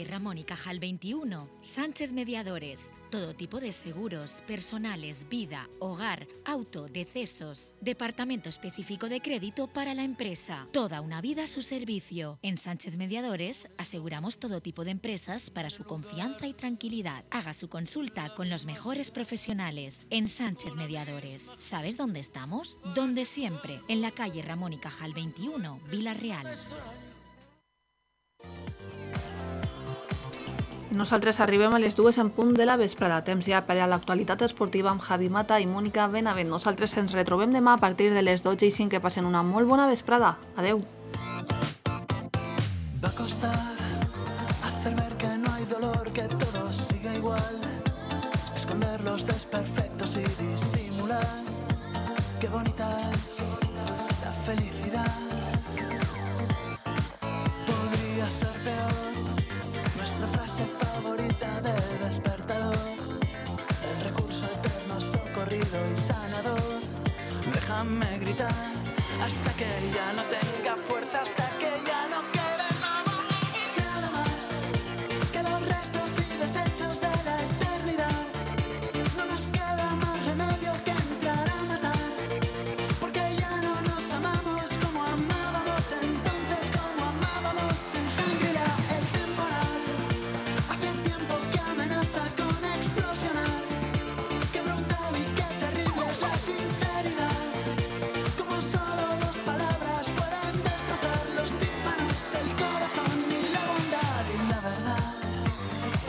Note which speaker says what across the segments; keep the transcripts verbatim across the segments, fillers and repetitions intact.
Speaker 1: Ramón y Cajal veintiuno, Sánchez Mediadores. Todo tipo de seguros, personales, vida, hogar, auto, decesos. Departamento específico de crédito para la empresa. Toda una vida a su servicio. En Sánchez Mediadores aseguramos todo tipo de empresas para su confianza y tranquilidad. Haga su consulta con los mejores profesionales. En Sánchez Mediadores. ¿Sabes dónde estamos? Donde siempre. En la calle Ramón y Cajal veintiuno, Vila-real.
Speaker 2: Nosaltres arribem a les dues en punt de la vesprada, temps ja per a l'actualitat esportiva amb Javi Mata i Mònica Benavent. Nosaltres ens retrobem demà a partir de les dotze i cinc. Que passen una molt bona vesprada. Adeu.
Speaker 3: Va a costar hacer ver que no hay dolor, que todo siga igual, esconder los desperfectos y disimular. Qué bonita es la felicidad. Podría ser peor, nuestra frase favorita de despertador, el recurso eterno, socorrido y sanador. Déjame gritar hasta que ya no tenga fuerza, hasta que ya no quede nada más que los restos y desechos de la eternidad. No nos queda más remedio que entrar a matar, porque ya no nos amamos como amábamos entonces, como amábamos en Shangri-La. El temporal hace tiempo que amenaza con explosionar. Qué brutal y qué terrible es la sinceridad, como solo dos palabras pueden destrozar los tímpanos, el corazón y la bondad. Y la verdad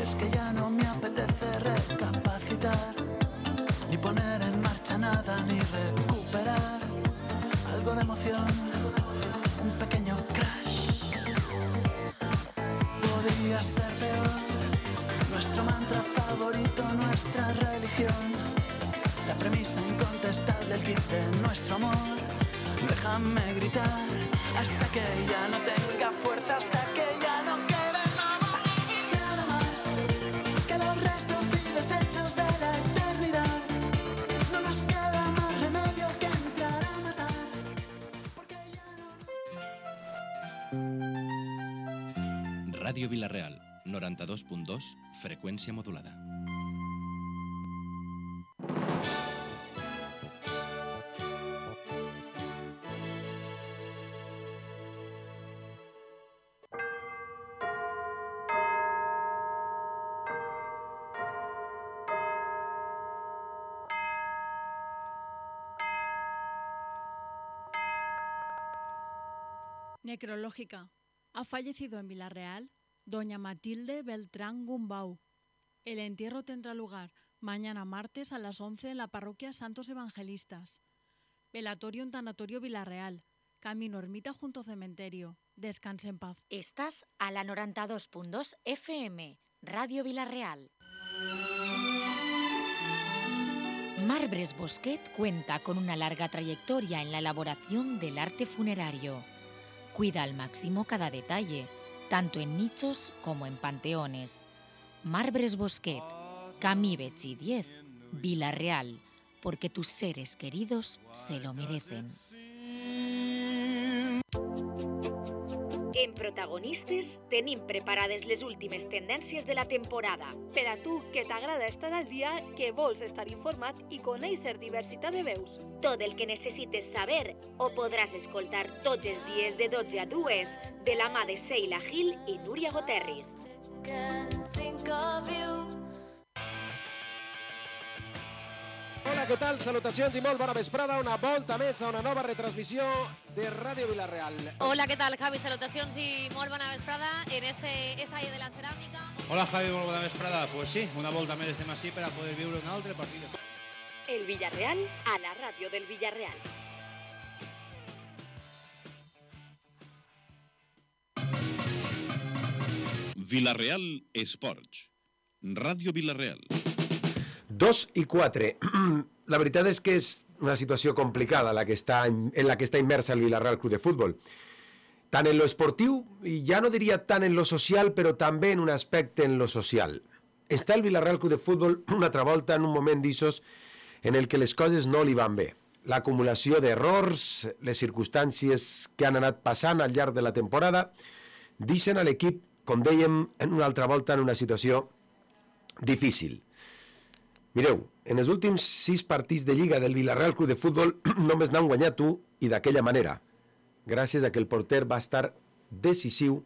Speaker 3: es que ya no me apetece recapacitar, ni poner en marcha nada, ni recuperar algo de emoción, un pequeño crash. Podría ser peor, nuestro mantra favorito, nuestra religión, la premisa incontestable, el kit de nuestro amor. Déjame gritar hasta que ya no tenga fuerza, hasta que ya no quede nada más que los restos y desechos de la eternidad. No nos queda más remedio que entrar a matar, porque ya no...
Speaker 4: Ràdio Vila-real, noranta-dos punt dos, freqüència modulada.
Speaker 5: Necrológica. Ha fallecido en Vila-real doña Matilde Beltrán Gumbau. El entierro tendrá lugar mañana martes a las once en la parroquia Santos Evangelistas. Velatorio en Tanatorio Vila-real. Camino Ermita junto cementerio. Descanse en paz.
Speaker 1: Estás a la noranta-dos punt dos F M, Radio Vila-real. Marbres Bosquet cuenta con una larga trayectoria en la elaboración del arte funerario. Cuida al máximo cada detalle, tanto en nichos como en panteones. Marbres Bosquet, Camí Betxí diez, Vila-real, porque tus seres queridos se lo merecen. En Protagonistes tenim preparades les últimes tendències de la temporada.
Speaker 6: Per a tu, que t'agrada estar al dia, que vols estar informat i conèixer diversitat de veus.
Speaker 1: Tot el que necessites saber ho podràs escoltar tots els dies de dotze a dues de la mà de Seila Gil i Núria Goterris.
Speaker 7: Hola, què tal? Salutacions i molt bona vesprada. Una volta més a una nova retransmissió de Ràdio Vila-real.
Speaker 8: Hola, què tal, Javi? Salutacions i molt bona vesprada en este estadi de la ceràmica.
Speaker 9: Hola, Javi, molt bona vesprada. Pues sí, una volta més estem així per a poder viure un altre partit.
Speaker 1: El Villarreal a la ràdio del Villarreal.
Speaker 10: Vila-real Esports. Ràdio Vila-real.
Speaker 11: Dos i quatre. La veritat és que és una situació complicada la que està, en la que està immersa el Vila-real Club de Futbol. Tant en lo esportiu, i ja no diria tant en lo social, però també en un aspecte en lo social. Està el Vila-real Club de Futbol una altra volta en un moment d'issos en el que les coses no li van bé. L'acumulació d'errors, les circumstàncies que han anat passant al llarg de la temporada, deixen a l'equip com dèiem, en una altra volta en una situació difícil. Mireu, en els últims sis partits de Lliga del Villarreal Club de Futbol només n'han guanyat un i d'aquella manera, gràcies a que el porter va estar decisiu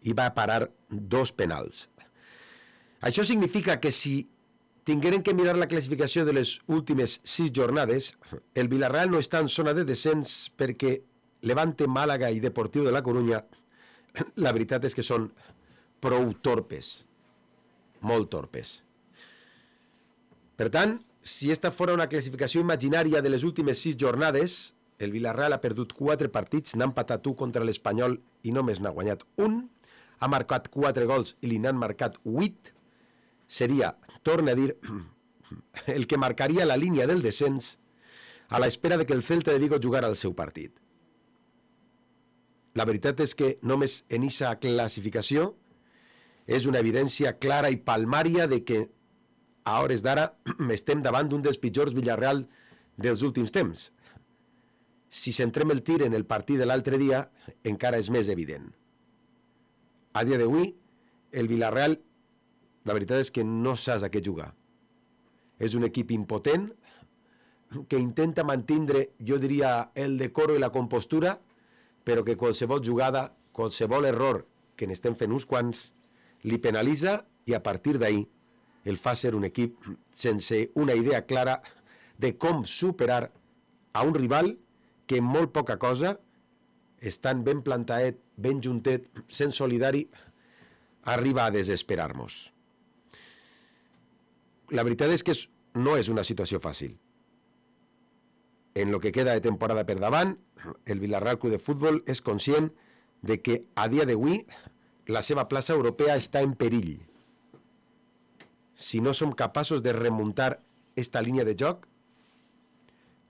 Speaker 11: i va parar dos penals. Això significa que si tingueren que mirar la classificació de les últimes sis jornades, el Villarreal no està en zona de descens perquè Levante, Màlaga i Deportiu de la Corunya, la veritat és que són prou torpes, molt torpes. Per tant, si esta fora una classificació imaginària de les últimes sis jornades, el Villarreal ha perdut quatre partits, n'ha empatat un contra l'Espanyol i només n'ha guanyat un, ha marcat quatre gols i li n'han marcat vuit, seria, torna a dir, el que marcaria la línia del descens a l'espera de que el Celta de Vigo jugara el seu partit. La veritat és que només en aquesta classificació és una evidència clara i palmària de que a hores d'ara estem davant d'un dels pitjors Villarreal dels últims temps. Si centrem el tir en el partit de l'altre dia, encara és més evident. A dia d'avui, el Villarreal, la veritat és que no saps a què jugar. És un equip impotent que intenta mantindre, jo diria, el decoro i la compostura, però que qualsevol jugada, qualsevol error, que n'estem fent uns quants, li penalitza i a partir d'ahir el fa ser un equip sense una idea clara de com superar a un rival que en molt poca cosa, estant ben plantaet, ben juntet, sent solidari, arriba a desesperar-nos. La veritat és que no és una situació fàcil. En lo que queda de temporada per davant, el Villarreal Club de Futbol és conscient de que a dia d'avui la seva plaça europea està en perill. Si no som capaços de remuntar esta línia de joc,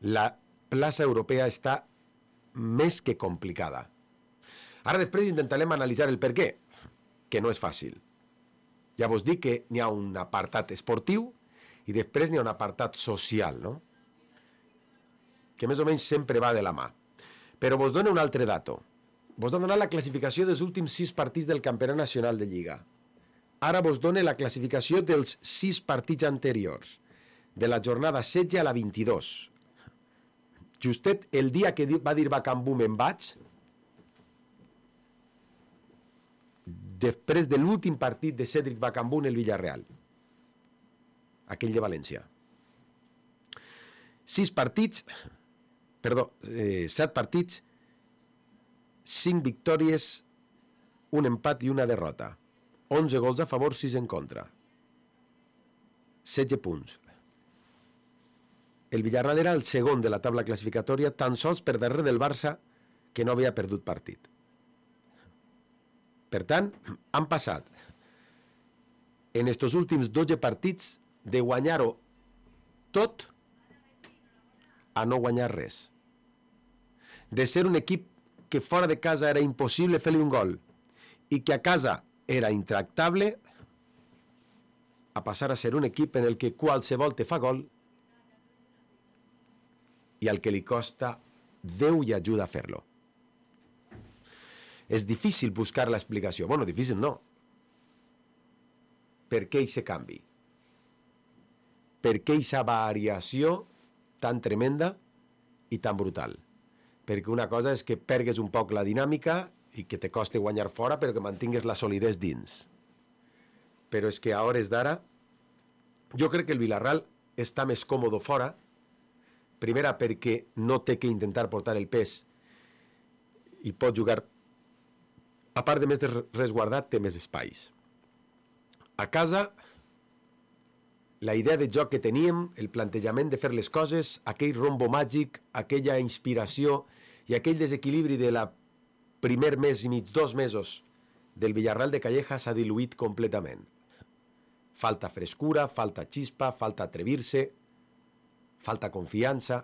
Speaker 11: la plaça europea està més que complicada. Ara després intentarem analitzar el per què, que no és fàcil. Ja vos dic que n'hi ha un apartat esportiu i després n'hi ha un apartat social, no? Que més o menys sempre va de la mà. Però vos dono un altre dato. Vos dono la classificació dels últims sis partits del Campionat Nacional de Lliga. Ara vos dono la classificació dels sis partits anteriors, de la jornada setze a la vint-i-dos. Justet el dia que va dir Bacambú me'n vaig, després de l'últim partit de Cédric Bacambú en el Villarreal, aquell de València. Sis partits, perdó, eh, set partits, cinc victòries, un empat i una derrota. onze gols a favor, sis en contra. setze punts. El Villarreal era el segon de la taula classificatòria, tan sols per darrere del Barça, que no havia perdut partit. Per tant, han passat en estos últims dotze partits de guanyar-ho tot a no guanyar res. De ser un equip que fora de casa era impossible fer-li un gol i que a casa era intractable, a passar a ser un equip en el que qualsevol te fa gol i al que li costa Déu i ajuda a fer-lo. És difícil buscar l'explicació. Bueno, difícil no. Per què aquest canvi? Per què aquesta variació tan tremenda i tan brutal? Perquè una cosa és que pergues un poc la dinàmica i que te costi guanyar fora, però que mantingues la solidesa dins. Però és que a hores d'ara, jo crec que el Villarreal està més còmode fora, primera perquè no té que intentar portar el pes i pot jugar, a part de més de resguardat, té més espais. A casa, la idea de joc que teníem, el plantejament de fer les coses, aquell rombo màgic, aquella inspiració i aquell desequilibri de la primer mes i mig, dos mesos del Villarreal de Calleja s'ha diluït completament. Falta frescura, falta xispa, falta atrevir-se, falta confiança,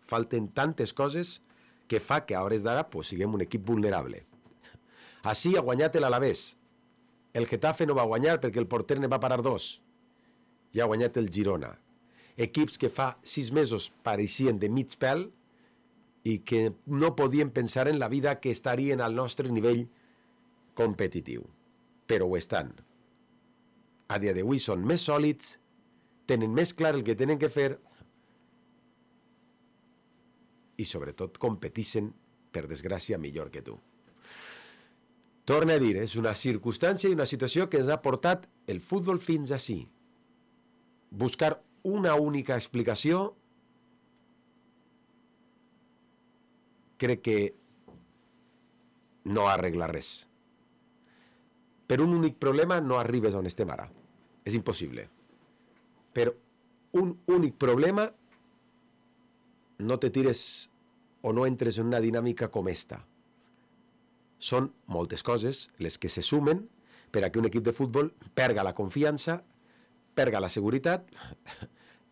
Speaker 11: falten tantes coses que fa que a hores d'ara pues, siguem un equip vulnerable. Així ha guanyat l'Alavés. El Getafe no va guanyar perquè el porter ne va parar dos. I ha guanyat el Girona. Equips que fa sis mesos pareixien de mig pèl i que no podien pensar en la vida que estarien al nostre nivell competitiu. però ho estan. A dia d'avui són més sòlids, tenen més clar el que tenen que fer i sobretot competeixen, per desgràcia, millor que tu. Torna a dir, és una circumstància i una situació que ens ha portat el futbol fins ací. Buscar una única explicació crec que no arregla res. Per un únic problema no arribes on estem ara. És impossible. Per un únic problema no te tires o no entres en una dinàmica com esta. Són moltes coses les que se sumen per a que un equip de futbol perga la confiança, perga la seguretat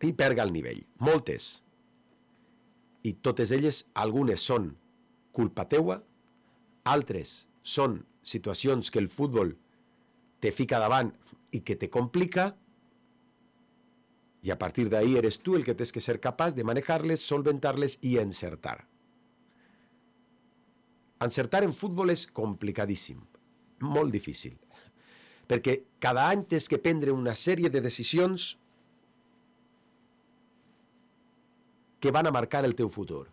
Speaker 11: i perga el nivell. Moltes. I totes elles, algunes són culpa teua, altres són situacions que el futbol te fica davant i que te complica, i a partir d'ahí eres tu el que tens que ser capaç de manejar-les, solventar-les i encertar. Encertar en futbol és complicadíssim, molt difícil, perquè cada any tens que prendre una sèrie de decisions que van a marcar el teu futur.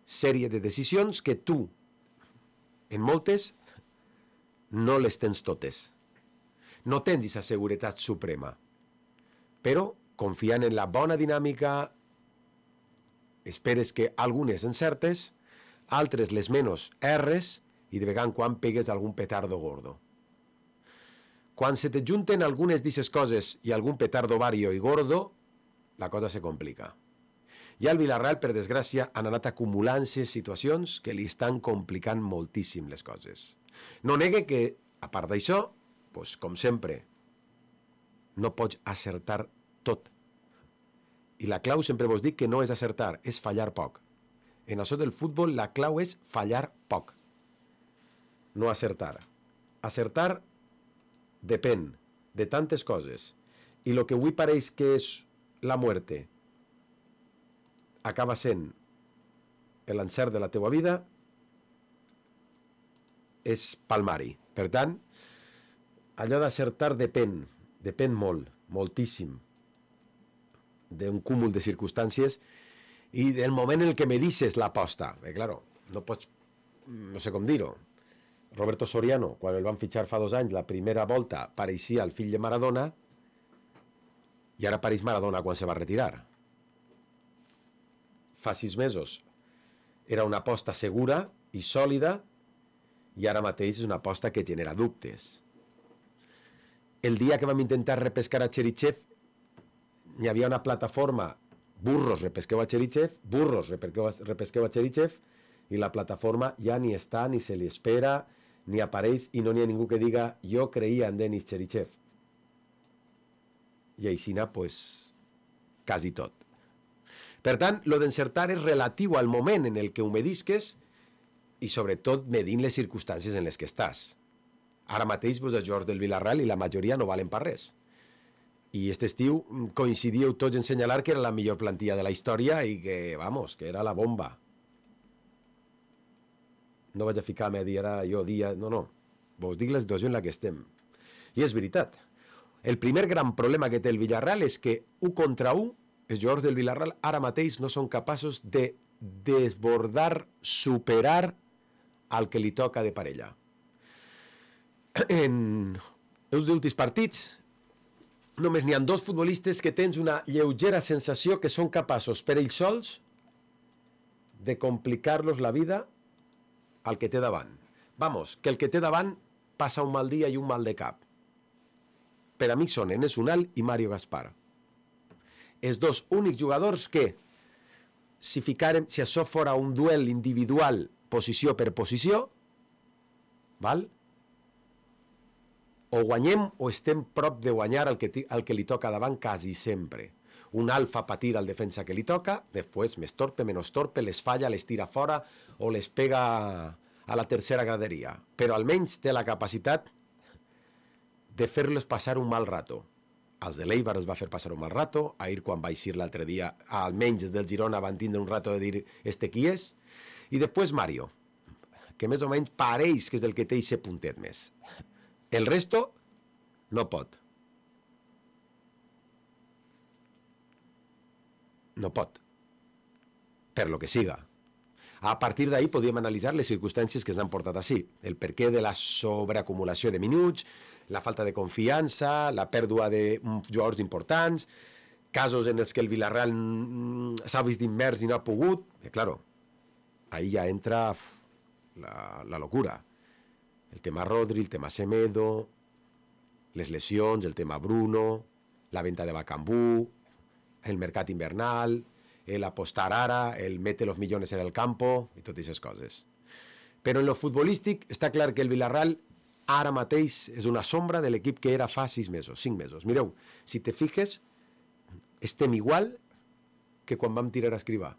Speaker 11: Sèrie de decisions que tu, en moltes, no les tens totes. No tens aquesta seguretat suprema. Però, confiant en la bona dinàmica, esperes que algunes encertes, altres les menys erres i de vegades quan pegues algun petardo gordo. Quan se te junten algunes d'aquestes coses i algun petardo vario i gordo, la cosa se complica. I al Villarreal, per desgràcia, han anat acumulant-se situacions que li estan complicant moltíssim les coses. No negue que, a part d'això, doncs, com sempre, no pots acertar tot. I la clau sempre vos dic que no és acertar, és fallar poc. En això del futbol la clau és fallar poc, no acertar. Acertar depèn de tantes coses. I el que avui pareix que és la muerte acaba sent l'encert de la teua vida és palmari. Per tant, allò d'acertar depèn, depèn molt, moltíssim, d'un cúmul de circumstàncies i del moment en el que me dices l'aposta. Eh, claro, no pots, no sé com dir-ho. Roberto Soriano, quan el van fitxar fa dos anys, la primera volta pareixia el fill de Maradona i ara pareix Maradona quan se va retirar. Fa sis mesos era una aposta segura i sòlida i ara mateix és una aposta que genera dubtes. El dia que vam intentar repescar a Cherichev hi havia una plataforma burros repesqueu a Cherichev, burros repesqueu a, repesqueu a Cherichev i la plataforma ja ni està, ni se li espera, ni apareix i no n'hi ha ningú que diga jo creia en Denis Cherichev. I aixina, pues, quasi tot. Per tant, lo d'encertar és relatiu al moment en el que ho medisques i sobretot medint les circumstàncies en les que estàs. Ara mateix vos els jugadors del Villarreal i la majoria no valen per res. I aquest estiu coincidíeu tots en senyalar que era la millor plantilla de la història i que, vamos, que era la bomba. No vaig a ficar-me a dir ara jo dia... No, no. Vos dic la situació en la que estem. I és veritat. El primer gran problema que té el Villarreal és que u contra u, els jugadors del Villarreal ara mateix no són capaços de desbordar, superar al que li toca de parella. En els últims partits només n'hi ha dos futbolistes que tens una lleugera sensació que són capaços per ells sols de complicar-los la vida al que té davant. Vamos, que el que té davant passa un mal dia i un mal de cap. Per a mi són Enes Unal i Mario Gaspar. Els dos únics jugadors que, si ficarem, si això fora un duel individual, posició per posició, val? O guanyem o estem prop de guanyar el que, el que li toca davant quasi sempre. Un alfa patir al defensa que li toca, després més torpe, menys torpe, les falla, les tira fora o les pega a la tercera graderia. Però almenys té la capacitat de fer-los passar un mal rato. Els de l'Eibar es va fer passar un mal rato, ahir quan va eixir l'altre dia, almenys els del Girona van tindre un rato de dir este qui és, i després Mario, que més o menys pareix que és el que té aquest puntet més. El resto no pot. No pot. Per lo que siga. A partir d'ahí podríem analitzar les circumstàncies que s'han portat així. El perquè de la sobreacumulació de minuts, la falta de confiança, la pèrdua de jugadors importants, casos en els que el Villarreal s'ha vist immers i no ha pogut. I, claro, ahí ja entra uf, la, la locura. El tema Rodri, el tema Semedo, les lesions, el tema Bruno, la venta de Bakambu, el mercat invernal, el apostar ara, el mete los millones en el campo i totes aquestes coses. Però en lo futbolístic està clar que el Villarreal ara mateix és una sombra de l'equip que era fa sis mesos, cinc mesos. Mireu, si te fiques, estem igual que quan vam tirar a escrivar.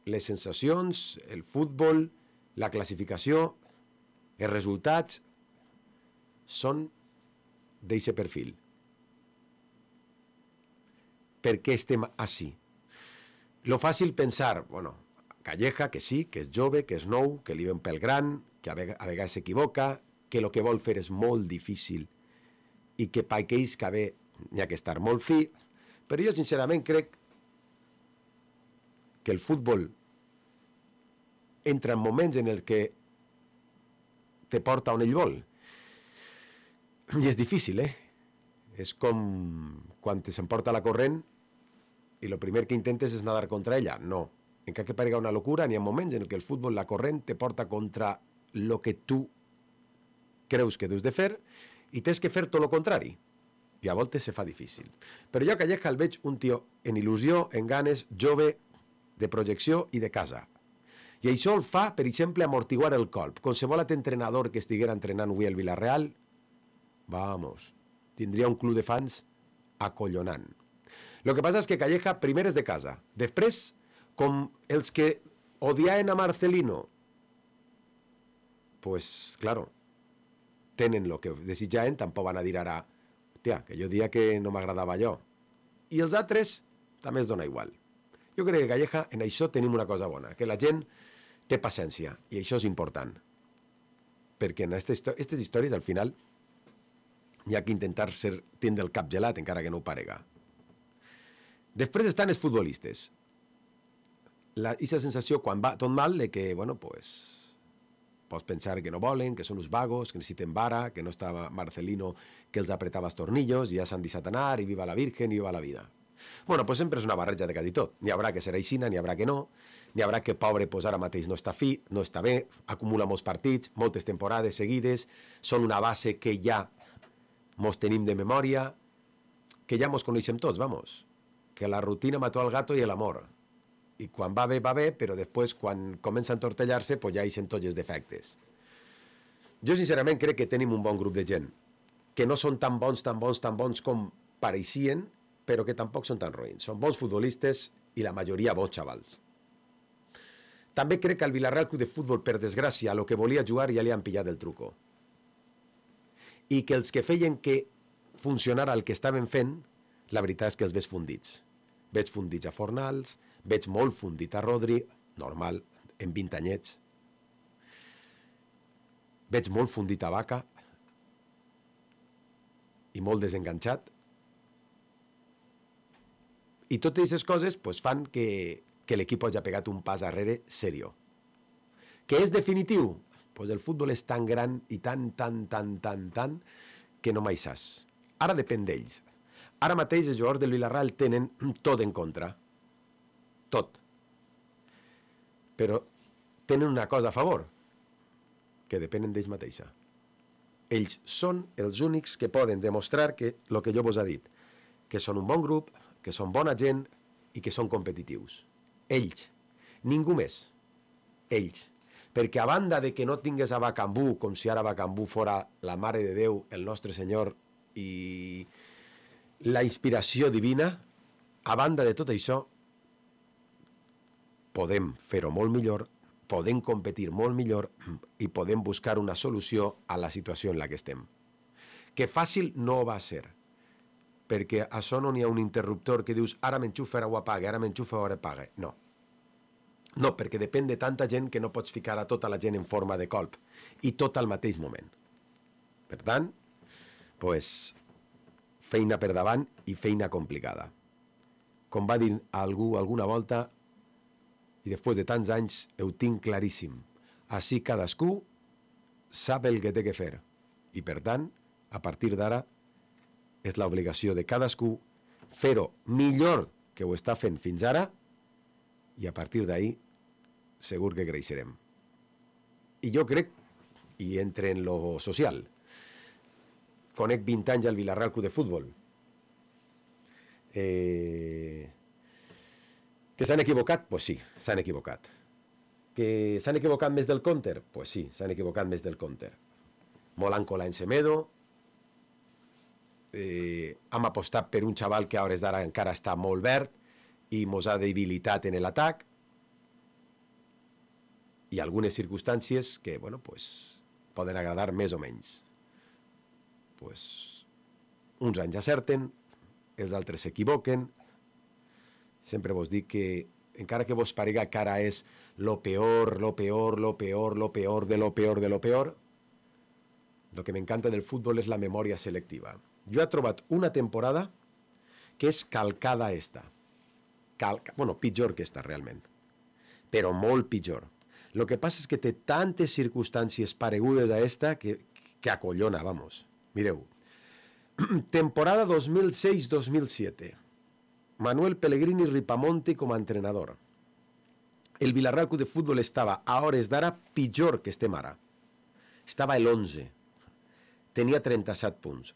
Speaker 11: Les sensacions, el futbol, la classificació, els resultats són d'aquest perfil. Per què estem així? Lo fàcil pensar, bueno, Calleja, que sí, que és jove, que és nou, que li ve un pèl gran, que a vegades s'equivoca, que el que vol fer és molt difícil i que per aquells que ve n'hi ha que estar molt fi, però jo sincerament crec que el futbol entra en moments en els que te porta on ell vol. I és difícil, eh? És com quan s'emporta la corrent i el primer que intentes és nadar contra ella. No. Encara que parega una locura, n'hi ha moments en què el futbol, la corrent, te porta contra el que tu creus que deus de fer i tens que fer tot el contrari. I a voltes se fa difícil. Però jo a Calleja el veig un tio en il·lusió, en ganes, jove, de projecció i de casa. I això el fa, per exemple, amortiguar el colp. Qualsevol altre entrenador que estiguera entrenant avui al Villarreal, vamos, tindria un club de fans acollonant. El que passa és que Calleja primer és de casa. Després, com els que odiaven a Marcelino, pues, claro, tenen el que desitjaven, tampoc van a dir ara, hòstia, que jo dia que no m'agradava allò. I els altres també es dona igual. Jo crec que Calleja, en això tenim una cosa bona, que la gent té paciència, i això és important. Perquè en aquestes històries, al final, hi ha que intentar ser, tindre el cap gelat, encara que no ho parega. Després estan els futbolistes. La, aquesta sensació, quan va tot mal, de que, bueno, pues, pots pensar que no volen, que són uns vagos, que necessiten vara, que no estava Marcelino que els apretava els tornillos, i ja s'han deixat anar, i viva la Virgen, i viva la vida. Bueno, pues sempre és una barreja de quasi tot. N'hi haurà que serà aixina, n'hi haurà que no, n'hi haurà que pobre pues, ara mateix no està fi, no està bé, acumula molts partits, moltes temporades seguides, són una base que ja mos tenim de memòria, que ja mos coneixem tots, vamos, que la rutina mató al gato i l'amor. I quan va bé, va bé, però després, quan comença a entortellar-se, pues ja hi sent tots els defectes. Jo, sincerament, crec que tenim un bon grup de gent, que no són tan bons, tan bons, tan bons com pareixien, però que tampoc són tan roïns. Són bons futbolistes i la majoria bons xavals. També crec que al Villarreal Club de Futbol, per desgràcia, a lo que volia jugar ja li han pillat el truco. I que els que feien que funcionara el que estaven fent, la veritat és que els veig fundits. Veig fundits a Fornals, veig molt fundit a Rodri, normal, en vint anyets. Veig molt fundit a Vaca i molt desenganxat. I totes aquestes coses pues, fan que, que l'equip hagi pegat un pas arrere serio. Que és definitiu? Pues el futbol és tan gran i tan, tan, tan, tan, tan, que no mai saps. Ara depèn d'ells. Ara mateix els jugadors del Villarreal tenen tot en contra. Tot. Però tenen una cosa a favor, que depenen d'ells mateixa. Ells són els únics que poden demostrar que el que jo vos he dit, que són un bon grup, que són bona gent i que són competitius. Ells. Ningú més. Ells. Perquè a banda de que no tingués a Bakambu, com si ara Bakambu fora la Mare de Déu, el nostre Senyor i la inspiració divina, a banda de tot això, podem fer-ho molt millor, podem competir molt millor i podem buscar una solució a la situació en la que estem. Que fàcil no va ser, perquè a això no n'hi ha un interruptor que dius ara m'enxufa, ara ho apaga, ara m'enxufa, ara apaga. No. No, perquè depèn de tanta gent que no pots ficar a tota la gent en forma de colp i tot al mateix moment. Per tant, pues, feina per davant i feina complicada. Com va dir algú alguna volta, i després de tants anys ho tinc claríssim, així cadascú sap el que té que fer. I per tant, a partir d'ara, és l'obligació de cadascú fer-ho millor que ho està fent fins ara i a partir d'ahir segur que creixerem. I jo crec, i entre en lo social, conec vint anys al Villarreal Club de Futbol, eh... que s'han equivocat? Pues sí, s'han equivocat. Que s'han equivocat més del compte? Pues sí, s'han equivocat més del compte. Molanco l'any Semedo, eh, hem apostat per un xaval que a hores d'ara encara està molt verd i mos ha debilitat en l'atac, i algunes circumstàncies que, bueno, pues, poden agradar més o menys. Pues, uns anys acerten, els altres s'equivoquen. Sempre vos dic que, encara que vos parega que ara és lo peor, lo peor, lo peor, lo peor, de lo peor, de lo peor, lo que m'encanta del futbol és la memòria selectiva. Jo he trobat una temporada que és calcada esta. Calca, bueno, pitjor que esta, realment. Però molt pitjor. Lo que passa és que té tantes circumstàncies paregudes a esta que, que acollona, vamos. Mireu. Temporada dos mil seis dos mil siete. Manuel Pellegrini Ripamonti com a entrenador. El Villarreal Club de Futbol estava a hores d'ara pitjor que estem ara. Estava el once. Tenia trenta-set punts.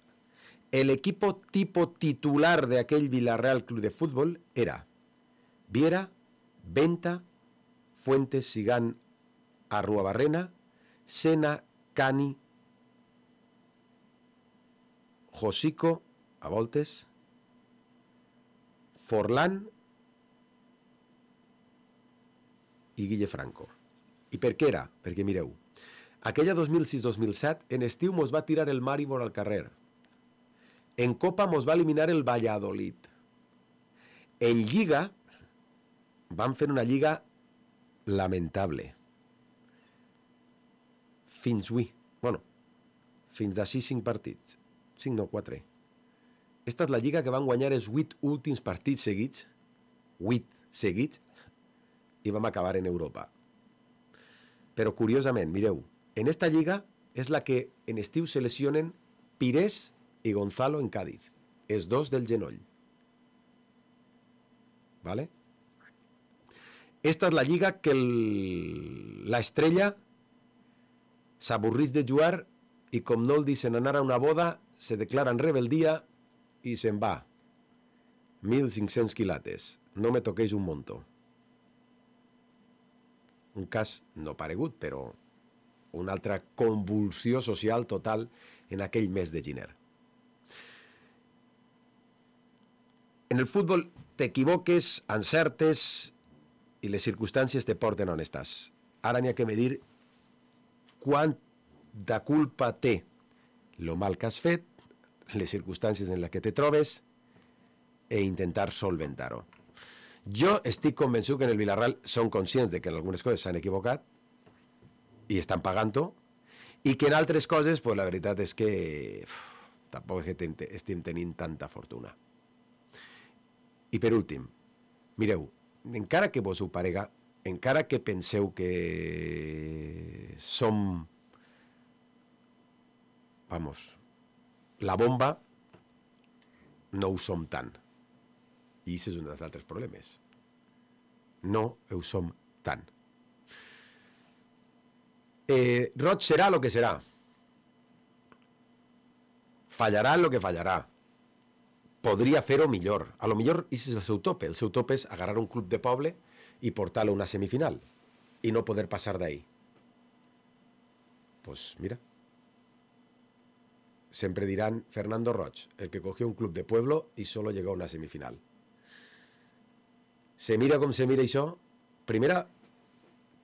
Speaker 11: El equipo tipo titular de aquell Villarreal Club de Futbol era Viera, Venta, Fuentes, Sigán, Arruabarrena, Sena, Cani, Josico, a voltes, Forlán i Guille Franco. I per què era? Perquè mireu, aquella dos mil sis dos mil set en estiu mos va tirar el Maribor al carrer. En Copa mos va eliminar el Valladolid. En Lliga van fer una lliga lamentable. Fins avui. Bueno, fins d'ací cinc partits. cinc, no, quatre. Esta és la lliga que van guanyar els vuit últims partits seguits. vuit seguits. I vam acabar en Europa. Però curiosament, mireu, en esta lliga és la que en estiu se lesionen Pires i Gonzalo en Cádiz. Els dos del genoll. ¿Vale? Esta és la lliga que el... la estrella s'avorrís de jugar i com no el deixen anar a una boda, se declara en rebeldia i se'n va. mil cinc-cents quilates. No me toqueix un monto. Un cas no paregut, però una altra convulsió social total en aquell mes de gener. En el futbol t'equivoques, encertes i les circumstàncies te porten on estàs. Ara n'hi ha que medir quant de culpa té lo mal que has fet, les circumstàncies en les que te trobes e intentar solventar-ho. Jo estic convençut que en el Villarreal són conscients de que en algunes coses s'han equivocat i estan pagant-ho i que en altres coses, pues, la veritat és que uf, tampoc és que estem tenint tanta fortuna. I per últim, mireu, encara que vos ho parega, encara que penseu que som, vamos, la bomba, no ho som tant. I això és un dels altres problemes. No ho som tant. Eh, Roig serà el que serà. Fallarà el que fallarà. Podria fer-ho millor. A lo millor és el seu tope. El seu tope és agarrar un club de poble i portar-lo a una semifinal i no poder passar d'ahí. Pues mira. Sempre dirán Fernando Roig, el que cogió un club de pueblo y solo llegó a una semifinal. Se mira com se mira això, primera,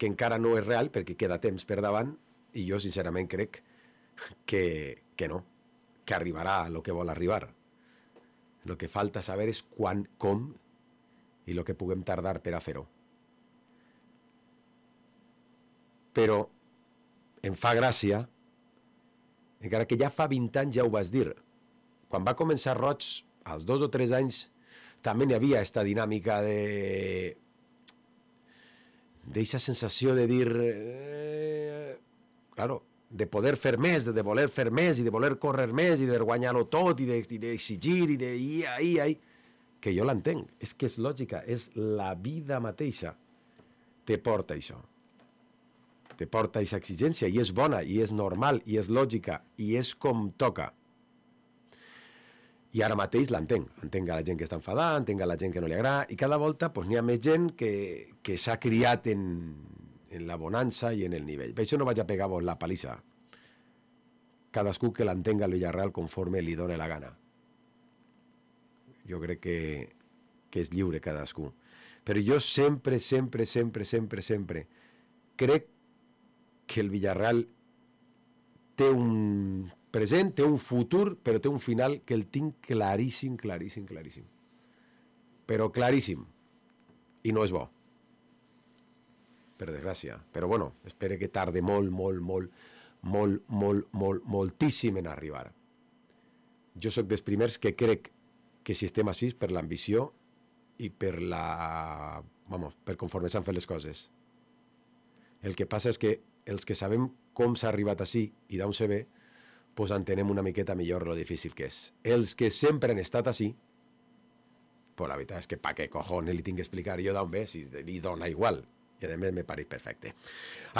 Speaker 11: que encara no és real perquè queda temps per davant i jo sincerament crec que, que no, que arribarà a lo que vol arribar. Lo que falta saber és quan, com i lo que puguem tardar per a fer-ho. però em fa gràcia, encara que ja fa vint anys ja ho vas dir. Quan va començar Roig, als dos o tres anys, també n'hi havia esta dinàmica de... d'eixa sensació de dir... Eh, claro, de poder fer més, de voler fer més, i de voler córrer més, i de guanyar-ho tot, i d'exigir, i de... i ai, ai, que jo l'entenc. És que és lògica, és la vida mateixa. Te porta això. Te porta aquesta exigència, i és bona, i és normal, i és lògica, i és com toca. I ara mateix l'entenc. Entenc a la gent que està enfadant, entenc a la gent que no li agrada, i cada volta pues, n'hi ha més gent que, que s'ha criat en, en la bonança i en el nivell. Per això no vaig a pegar-vos la palissa. Cadascú que l'entenga al Villarreal conforme li dóna la gana. Jo crec que, que és lliure cadascú. Però jo sempre, sempre, sempre, sempre, sempre crec que el Villarreal té un present, té un futur, però té un final que el tinc claríssim, claríssim, claríssim. Però claríssim. I no és bo. Per desgràcia. Però bueno, espero que tarde molt, molt, molt, molt, molt, molt, moltíssim en arribar. Jo sóc dels primers que crec que si estem així per l'ambició i per la... vamos, per conforme s'han fet les coses. El que passa és que els que sabem com s'ha arribat així i d'on se ve, pues entenem una miqueta millor lo difícil que és. Els que sempre han estat així, pues la veritat és que pa què cojones li tinc que explicar jo d'on ve, si li dona igual. I a més me pareix perfecte.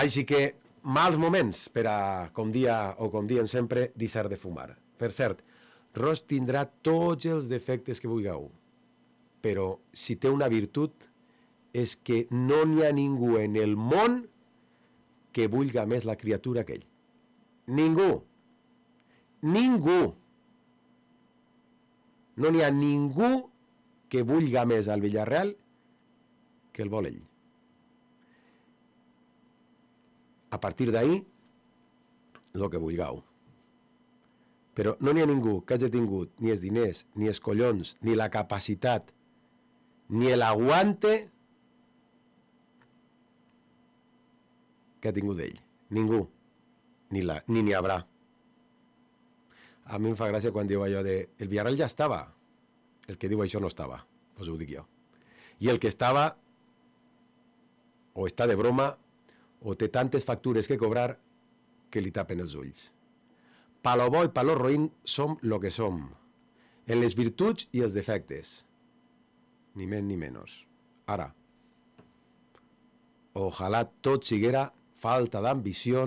Speaker 11: Així que, mals moments per a, com dia o com diem sempre, deixar de fumar. Per cert, Roig tindrà tots els defectes que vulgueu, però si té una virtut és que no n'hi ha ningú en el món que vulga més la criatura que ell. Ningú. Ningú. No n'hi ha ningú que vulga més al Villarreal que el vol ell. A partir d'ahí, el que vulgueu. Però no n'hi ha ningú que hagi tingut ni els diners, ni els collons, ni la capacitat, ni l'aguante que ha tingut ell. Ningú. Ni la, ni n'hi haurà. A mi em fa gràcia quan diu allò de el Villarreal ja estava. El que diu això no estava. Pues ho dic jo. I el que estava o està de broma o té tantes factures que cobrar que li tapen els ulls. Pa lo bo i pa lo roïn som lo que som. En les virtuts i els defectes. Ni més ni menys. Ara, ojalá tot siguera falta d'ambició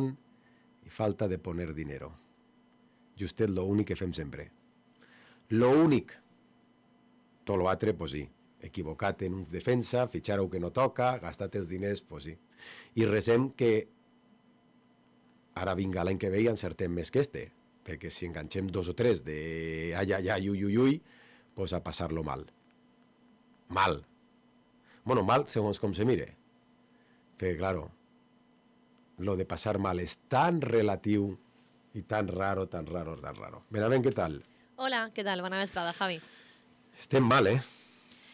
Speaker 11: i falta de poner dinero. Justet lo únic que fem sempre. Lo únic. Tot lo altre, pues sí. Equivocat en un defensa, fitxar-ho que no toca, gastat els diners, pues sí. I resem que ara vinga l'any que ve i encertem més que este, perquè si enganxem dos o tres de ai, ai, ai, ui, ui, ui, pues a passar-lo mal. Mal. Bueno, mal segons com se mire. Perquè, claro, lo de passar mal és tan relatiu i tan raro, tan raro, tan raro. Benavent, què tal?
Speaker 8: Hola, què tal? Bona vesprada, Javi.
Speaker 11: Estem mal, eh?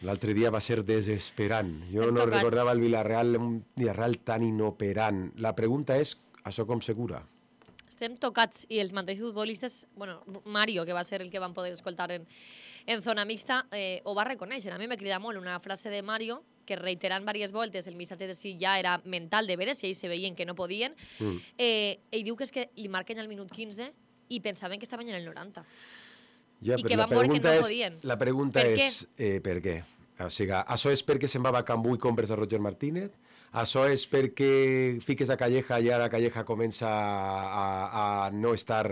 Speaker 11: L'altre dia va ser desesperant. Jo
Speaker 8: Estem
Speaker 11: no
Speaker 8: tocats.
Speaker 11: recordava el Villarreal, un Villarreal tan inoperant. La pregunta és, això com se cura?
Speaker 8: Estem tocats i els mateixos futbolistes, bueno, Mario, que va ser el que van poder escoltar en, en zona mixta, eh, ho va reconèixer. A mi m'ha cridat molt una frase de Mario que reiterant diverses voltes el missatge de si ja era mental de veres, si ells se veien que no podien. Mm. Eh, ell diu que és que li marquen al minut quinze i pensaven que estaven en el noranta.
Speaker 11: Ja,
Speaker 8: I
Speaker 11: però
Speaker 8: que
Speaker 11: la
Speaker 8: van veure que
Speaker 11: pregunta
Speaker 8: no
Speaker 11: és,
Speaker 8: podien.
Speaker 11: la pregunta
Speaker 8: Per
Speaker 11: és eh, per què? O sigui, això és perquè se'n va a Cambú i compres a Roger Martínez? Això és perquè fiques a Calleja i ara Calleja comença a, a no estar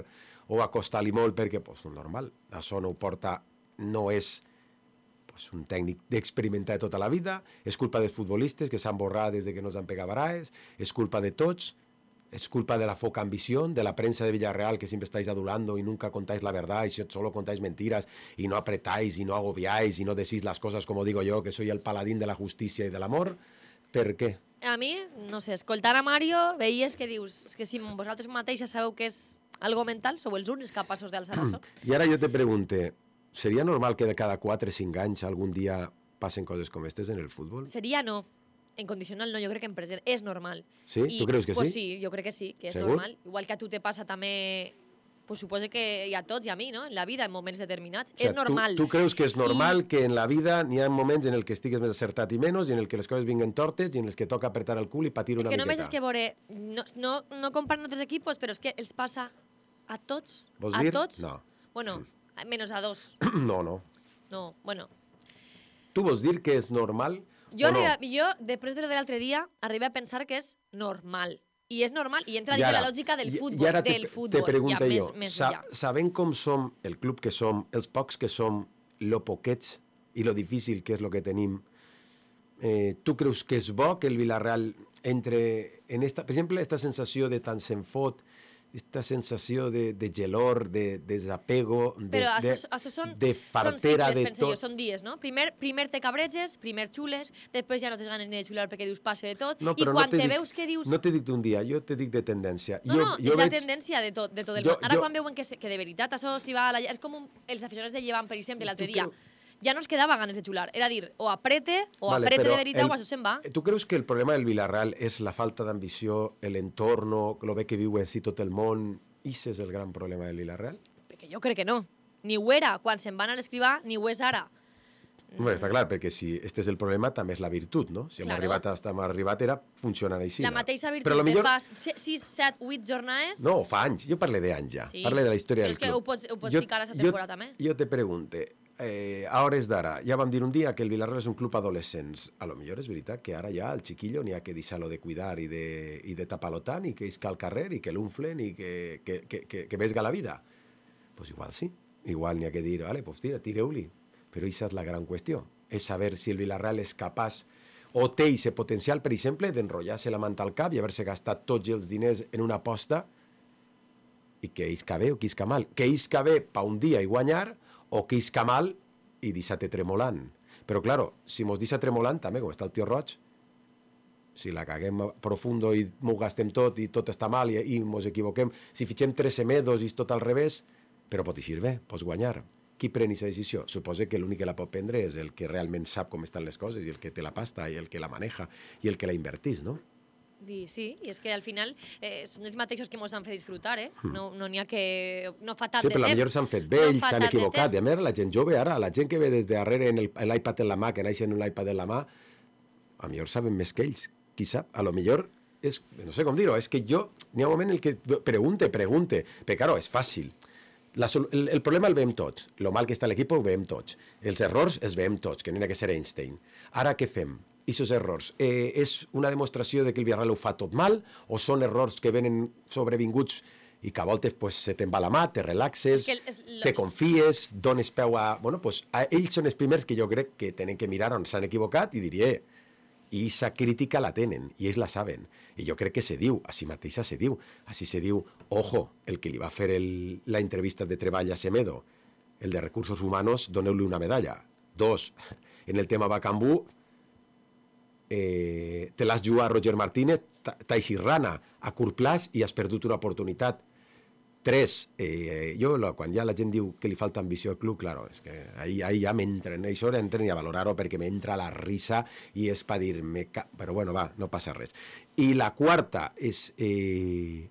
Speaker 11: o a costar-li molt perquè, pues, normal, això no ho porta, no és pues, un tècnic d'experimentar tota la vida, és culpa dels futbolistes que s'han borrat des de que no s'han pegat baraes, és culpa de tots, es culpa de la foca ambición, de la prensa de Villarreal que siempre estáis adulando y nunca contáis la verdad y solo contáis mentiras y no apretáis y no agobiáis y no decís las cosas como digo yo, que soy el paladín de la justicia y del amor. Per què?
Speaker 8: A mi, no sé, escoltant a Mario, veies que dius, és que si vosaltres mateixes sabeu que és algo mental, sou els únics capaços d'alçar això.
Speaker 11: I ara jo te pregunte, seria normal que de cada quatre o cinc anys algun dia passen coses com aquestes en el futbol?
Speaker 8: Seria no. En condicional no, jo crec que en present és normal.
Speaker 11: Sí?
Speaker 8: I,
Speaker 11: Tu creus que
Speaker 8: pues
Speaker 11: sí?
Speaker 8: Sí, jo crec que sí, que és
Speaker 11: Segur?
Speaker 8: normal. Igual que a tu te passa també, pues suposo que hi a tots i a mi, no? En la vida, en moments determinats.
Speaker 11: O sea,
Speaker 8: és normal.
Speaker 11: Tu, tu creus que és normal I... que en la vida n'hi ha moments en el que estigues més acertat i menys, i en el que les coses vinguen tortes, i en els que toca apretar el cul i patir una
Speaker 8: que només
Speaker 11: miqueta.
Speaker 8: és que veure, no, no, no comparen altres equipos, però és que els passa a tots.
Speaker 11: Vols
Speaker 8: a
Speaker 11: dir?
Speaker 8: tots.
Speaker 11: No.
Speaker 8: Bueno, menos a dos.
Speaker 11: No, no.
Speaker 8: No, bueno.
Speaker 11: Tu vols dir que és normal
Speaker 8: Jo,
Speaker 11: o no?
Speaker 8: arriba, jo després de lo de l'altre dia, arribé a pensar que és normal. I és normal, i entra
Speaker 11: I
Speaker 8: dins
Speaker 11: ara-
Speaker 8: la lògica del
Speaker 11: i-
Speaker 8: futbol.
Speaker 11: I ara te,
Speaker 8: del futbol,
Speaker 11: te pregunto
Speaker 8: ja,
Speaker 11: jo,
Speaker 8: més, més
Speaker 11: sa,
Speaker 8: enllà.
Speaker 11: sabent com som, el club que som, els pocs que som, lo poquets i lo difícil que és lo que tenim, eh, tu creus que és bo que el Villarreal entre en esta, per exemple, esta sensació de tant se'n fot, esta sensació de, de gelor, de, de desapego, de,
Speaker 8: Però
Speaker 11: de,
Speaker 8: això, això són,
Speaker 11: de
Speaker 8: són
Speaker 11: fartera
Speaker 8: cicles,
Speaker 11: de
Speaker 8: penso jo,
Speaker 11: tot.
Speaker 8: són dies, no? Primer, primer te cabreges, primer xules, després ja no tens ganes ni de xular perquè dius passe de tot,
Speaker 11: No,
Speaker 8: i
Speaker 11: però
Speaker 8: quan
Speaker 11: no te
Speaker 8: te
Speaker 11: dic,
Speaker 8: veus que dius...
Speaker 11: No te dic d'un dia, jo te dic de tendència.
Speaker 8: No,
Speaker 11: jo,
Speaker 8: no,
Speaker 11: jo
Speaker 8: és la
Speaker 11: veig-
Speaker 8: tendència de tot, de tot el
Speaker 11: Jo-
Speaker 8: món. Ara
Speaker 11: jo-
Speaker 8: quan veuen que, se, que de veritat això s'hi va a la... És com un, els aficionats de Llevant, per exemple, l'altre
Speaker 11: Tu
Speaker 8: dia. Ja no es quedava ganes de xular. Era dir, o aprete, o
Speaker 11: Vale,
Speaker 8: aprete
Speaker 11: però
Speaker 8: de veritat,
Speaker 11: el-
Speaker 8: o això se'n va.
Speaker 11: Tu creus que el problema del Villarreal és la falta d'ambició, l'entorno, lo bé que viu així tot el món? Ix és el gran problema del Villarreal?
Speaker 8: Perquè jo crec que no. Ni ho era quan se'n van a l'escrivar, ni ho és ara.
Speaker 11: Bueno, està clar, perquè si este és el problema, també és la virtut, no? Si hem
Speaker 8: Claro.
Speaker 11: arribat hasta hem arribat era funcionant així.
Speaker 8: La mateixa virtut
Speaker 11: Però a lo
Speaker 8: de
Speaker 11: millor...
Speaker 8: fa sis, set, vuit jornades...
Speaker 11: No, fa anys. Jo parlo d'anys ja.
Speaker 8: Sí.
Speaker 11: Parlo de la història
Speaker 8: Però
Speaker 11: del
Speaker 8: és que
Speaker 11: club.
Speaker 8: ho pots, ho pots
Speaker 11: Jo-
Speaker 8: ficar a aquesta
Speaker 11: jo-
Speaker 8: temporada també.
Speaker 11: Jo te pregunte, eh, a hores d'ara, ja vam dir un dia que el Villarreal és un club adolescents. A lo millor és veritat que ara ja el chiquillo n'hi ha que deixar-lo de cuidar i de, i de tapar-lo tant i que isca al carrer i que l'unflen i que, que, que, que, que vesga la vida. Pues igual sí. Igual n'hi ha que dir, vale, pues tira, tireu-li. Però això és la gran qüestió. És saber si el Villarreal és capaç o té aquest potencial, per exemple, d'enrotllar-se la manta al cap i haver-se gastat tots els diners en una aposta i que isca bé o que isca mal. Que isca bé pa un dia i guanyar o que isca mal i deixar-te tremolant. Però, claro, si mos deixa tremolant, també, com està el tio Roig, si la caguem profundo i m'ho gastem tot i tot està mal i, i mos equivoquem, si fitxem tres semedos i és tot al revés, però pot eixir bé, pots guanyar. Qui pren aquesta decisió? Suposa que l'únic que la pot prendre és el que realment sap com estan les coses i el que té la pasta i el que la maneja i el que la invertís, no?
Speaker 8: Di, sí, i és que al final eh, són els mateixos que ens han fet disfrutar, eh? No n'hi no n'hi ha que... No fa tant
Speaker 11: Sí,
Speaker 8: de
Speaker 11: però
Speaker 8: temps.
Speaker 11: potser s'han fet vells,
Speaker 8: fa
Speaker 11: s'han
Speaker 8: tant de
Speaker 11: equivocat. I a
Speaker 8: temps.
Speaker 11: més, la gent jove ara, la gent que ve des de darrere en el- en l'iPad en la mà, que naix en un iPad en la mà, a millor saben més que ells, qui sap? A lo millor és, no sé com dir-ho, és que jo, n'hi ha un moment en el que pregunte, pregunte, perquè, claro, és fàcil. La, sol- el, el problema el veiem tots. Lo mal que està l'equip ho veiem tots. Els errors els veiem tots, que no hi ha que ser Einstein. Ara què fem? Aquests errors, eh, és una demostració de que el Villarreal ho fa tot mal o són errors que venen sobrevinguts i que a voltes pues, se te'n va la mà, te relaxes,
Speaker 8: És que el- és lo-
Speaker 11: te confies, dones peu a... Bueno, pues, a ells són els primers que jo crec que tenen que mirar on s'han equivocat i diria, i aquesta crítica la tenen, i ells la saben. I jo crec que se diu, així mateixa se diu. Així se diu, ojo, el que li va fer el, la entrevista de treball a Semedo, el de recursos humanos, doneu-li una medalla. Dos, en el tema Bacambú, eh, te l'has jugat a Roger Martínez, t'ha eixit rana a curt plaç i has perdut una oportunitat. Tres, eh, jo la, quan ja la gent diu que li falta ambició al club, claro, és que ahí, ahí ja m'entren, això entren a valorar-ho perquè m'entra la risa i és per dir-me... Ca... Però bueno, va, no passa res. I la quarta és... Eh,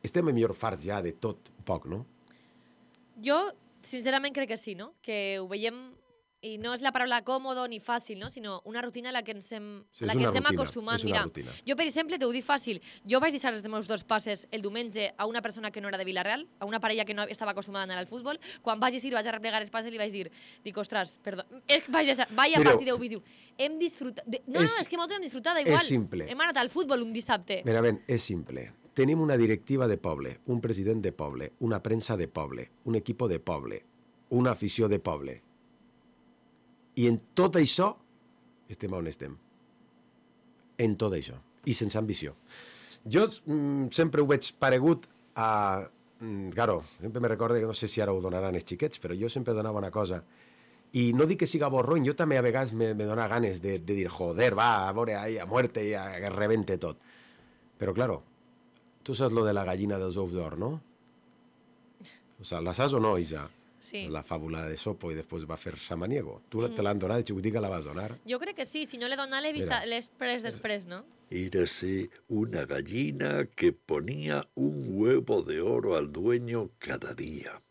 Speaker 11: estem millor farts ja de tot un poc, no?
Speaker 8: Jo, sincerament, crec que sí, no? Que ho veiem... I no és la paraula còmodo ni fàcil, no? Sinó una rutina a la que ens hem,
Speaker 11: Sí,
Speaker 8: a la
Speaker 11: és
Speaker 8: que
Speaker 11: una
Speaker 8: ens hem
Speaker 11: rutina,
Speaker 8: acostumat.
Speaker 11: és una
Speaker 8: Mira,
Speaker 11: rutina.
Speaker 8: jo, per exemple, t'ho dic fàcil. Jo vaig deixar els meus dos passes el diumenge a una persona que no era de Villarreal, a una parella que no estava acostumada a anar al futbol. Quan vaig eixir, vaig a replegar els passes i li vaig dir, dic, ostres, perdó, eh, vaig deixar, vaig a
Speaker 11: Mireu,
Speaker 8: partir d'avui, diu, hem disfrutat... De... No,
Speaker 11: és-
Speaker 8: no, és que nosaltres hem disfrutat igual.
Speaker 11: és simple.
Speaker 8: Hem anat al futbol un dissabte.
Speaker 11: Mira, ben, és simple. Tenim una directiva de poble, un president de poble, una premsa de poble, un equip de poble, una afició de poble. I en tot això estem on estem. En tot això. I sense ambició. Jo mm, sempre ho veig paregut a... Mm, claro, sempre me recordo que no sé si ara ho donaran els xiquets, però jo sempre donava una cosa. I no dic que siga borrony, jo també a vegades me, me dona ganes de, de dir, joder, va, a veure, ahí, a muerte, i a que rebente tot. Però, claro, tu saps lo de la gallina dels ous d'or, no? O sea, la saps o no, Isa?
Speaker 8: Sí.
Speaker 11: La fàbula de Sopo i després va fer Samaniego. Tu mm. te l'han donat, de xicotica la vas donar.
Speaker 8: Jo crec que sí, si no le dona l'he vist després, després, ¿no?
Speaker 12: Érase una gallina que ponía un huevo de oro al dueño cada día.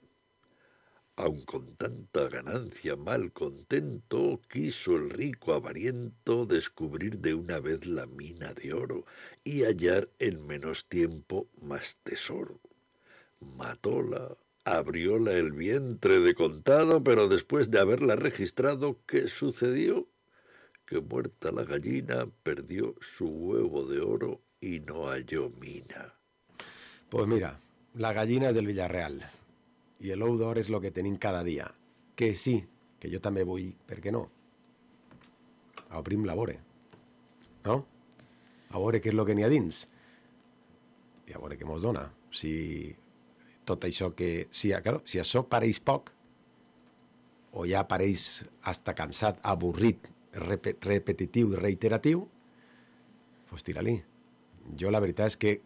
Speaker 12: Aun con tanta ganancia mal contento, quiso el rico avariento descubrir de una vez la mina de oro y hallar en menos tiempo más tesoro. Matóla, abrióla el vientre de contado, pero después de haberla registrado, ¿qué sucedió? Que muerta la gallina perdió su huevo de oro y no halló mina.
Speaker 11: Pues mira, la gallina és del Villarreal i l'ou d'or és el que tenim cada dia. Que sí, que jo també vull, per què no? A obrim la vore, no? A veure què és el que n'hi ha dins i a veure què mos dona. Si tot això que... Si, claro, si això pareix poc o ja pareix hasta cansat, avorrit, rep repetitiu i reiteratiu, doncs tira-li. Jo la veritat és que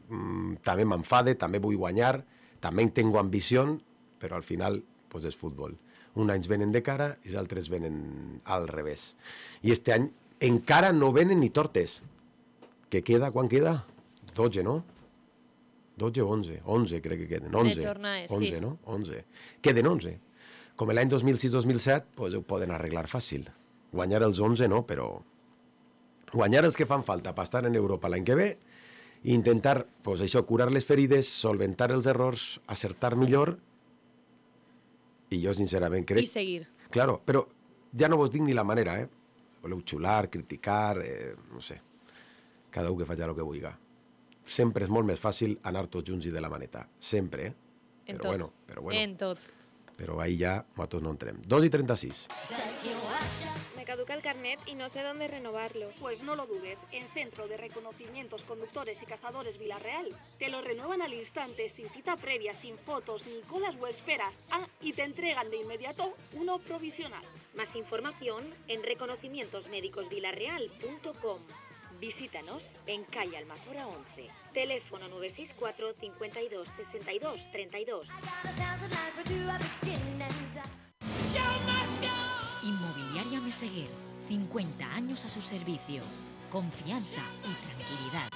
Speaker 11: mmm, també m'enfade, també vull guanyar, també tengo ambició, però al final pues, és futbol. Un anys venen de cara i els altres venen al revés. I este any encara no venen ni tortes. Què queda? Quan queda? dotze, no? dotze o onze? onze crec que queden. onze.
Speaker 8: De jornades,
Speaker 11: onze,
Speaker 8: sí.
Speaker 11: No? onze. Queden onze. Com l'any dos mil sis dos mil set, pues, ho poden arreglar fàcil. Guanyar els onze no, però guanyar els que fan falta per estar en Europa l'any que ve i intentar, pues, això, curar les ferides, solventar els errors, acertar millor i jo sincerament crec...
Speaker 8: I seguir.
Speaker 11: Claro, però ja no vos dic ni la manera, eh? Voleu xular, criticar, eh, no sé. Cada un que faci el que vulgui. Sempre és molt més fàcil anar tots junts i de la maneta. Sempre, eh?
Speaker 8: En
Speaker 11: però
Speaker 8: tot.
Speaker 11: bueno, però bueno.
Speaker 8: En tot.
Speaker 11: Però ahí ja nosaltres no entrem. dos i trenta-sis.
Speaker 6: Me caduca el carnet y no sé dónde renovarlo. Pues no lo dudes, en Centro de Reconocimientos Conductores y Cazadores Villarreal te lo renuevan al instante, sin cita previa, sin fotos, ni colas o esperas. Ah, y te entregan de inmediato uno provisional.
Speaker 1: Más información en reconocimientos médicos villarreal punto com. Visítanos en calle Almazora once. Teléfono nueve seis cuatro, cincuenta y dos, sesenta y dos, treinta y dos. Inmobiliaria Meseguer, cincuenta años a su servicio. Confianza y tranquilidad.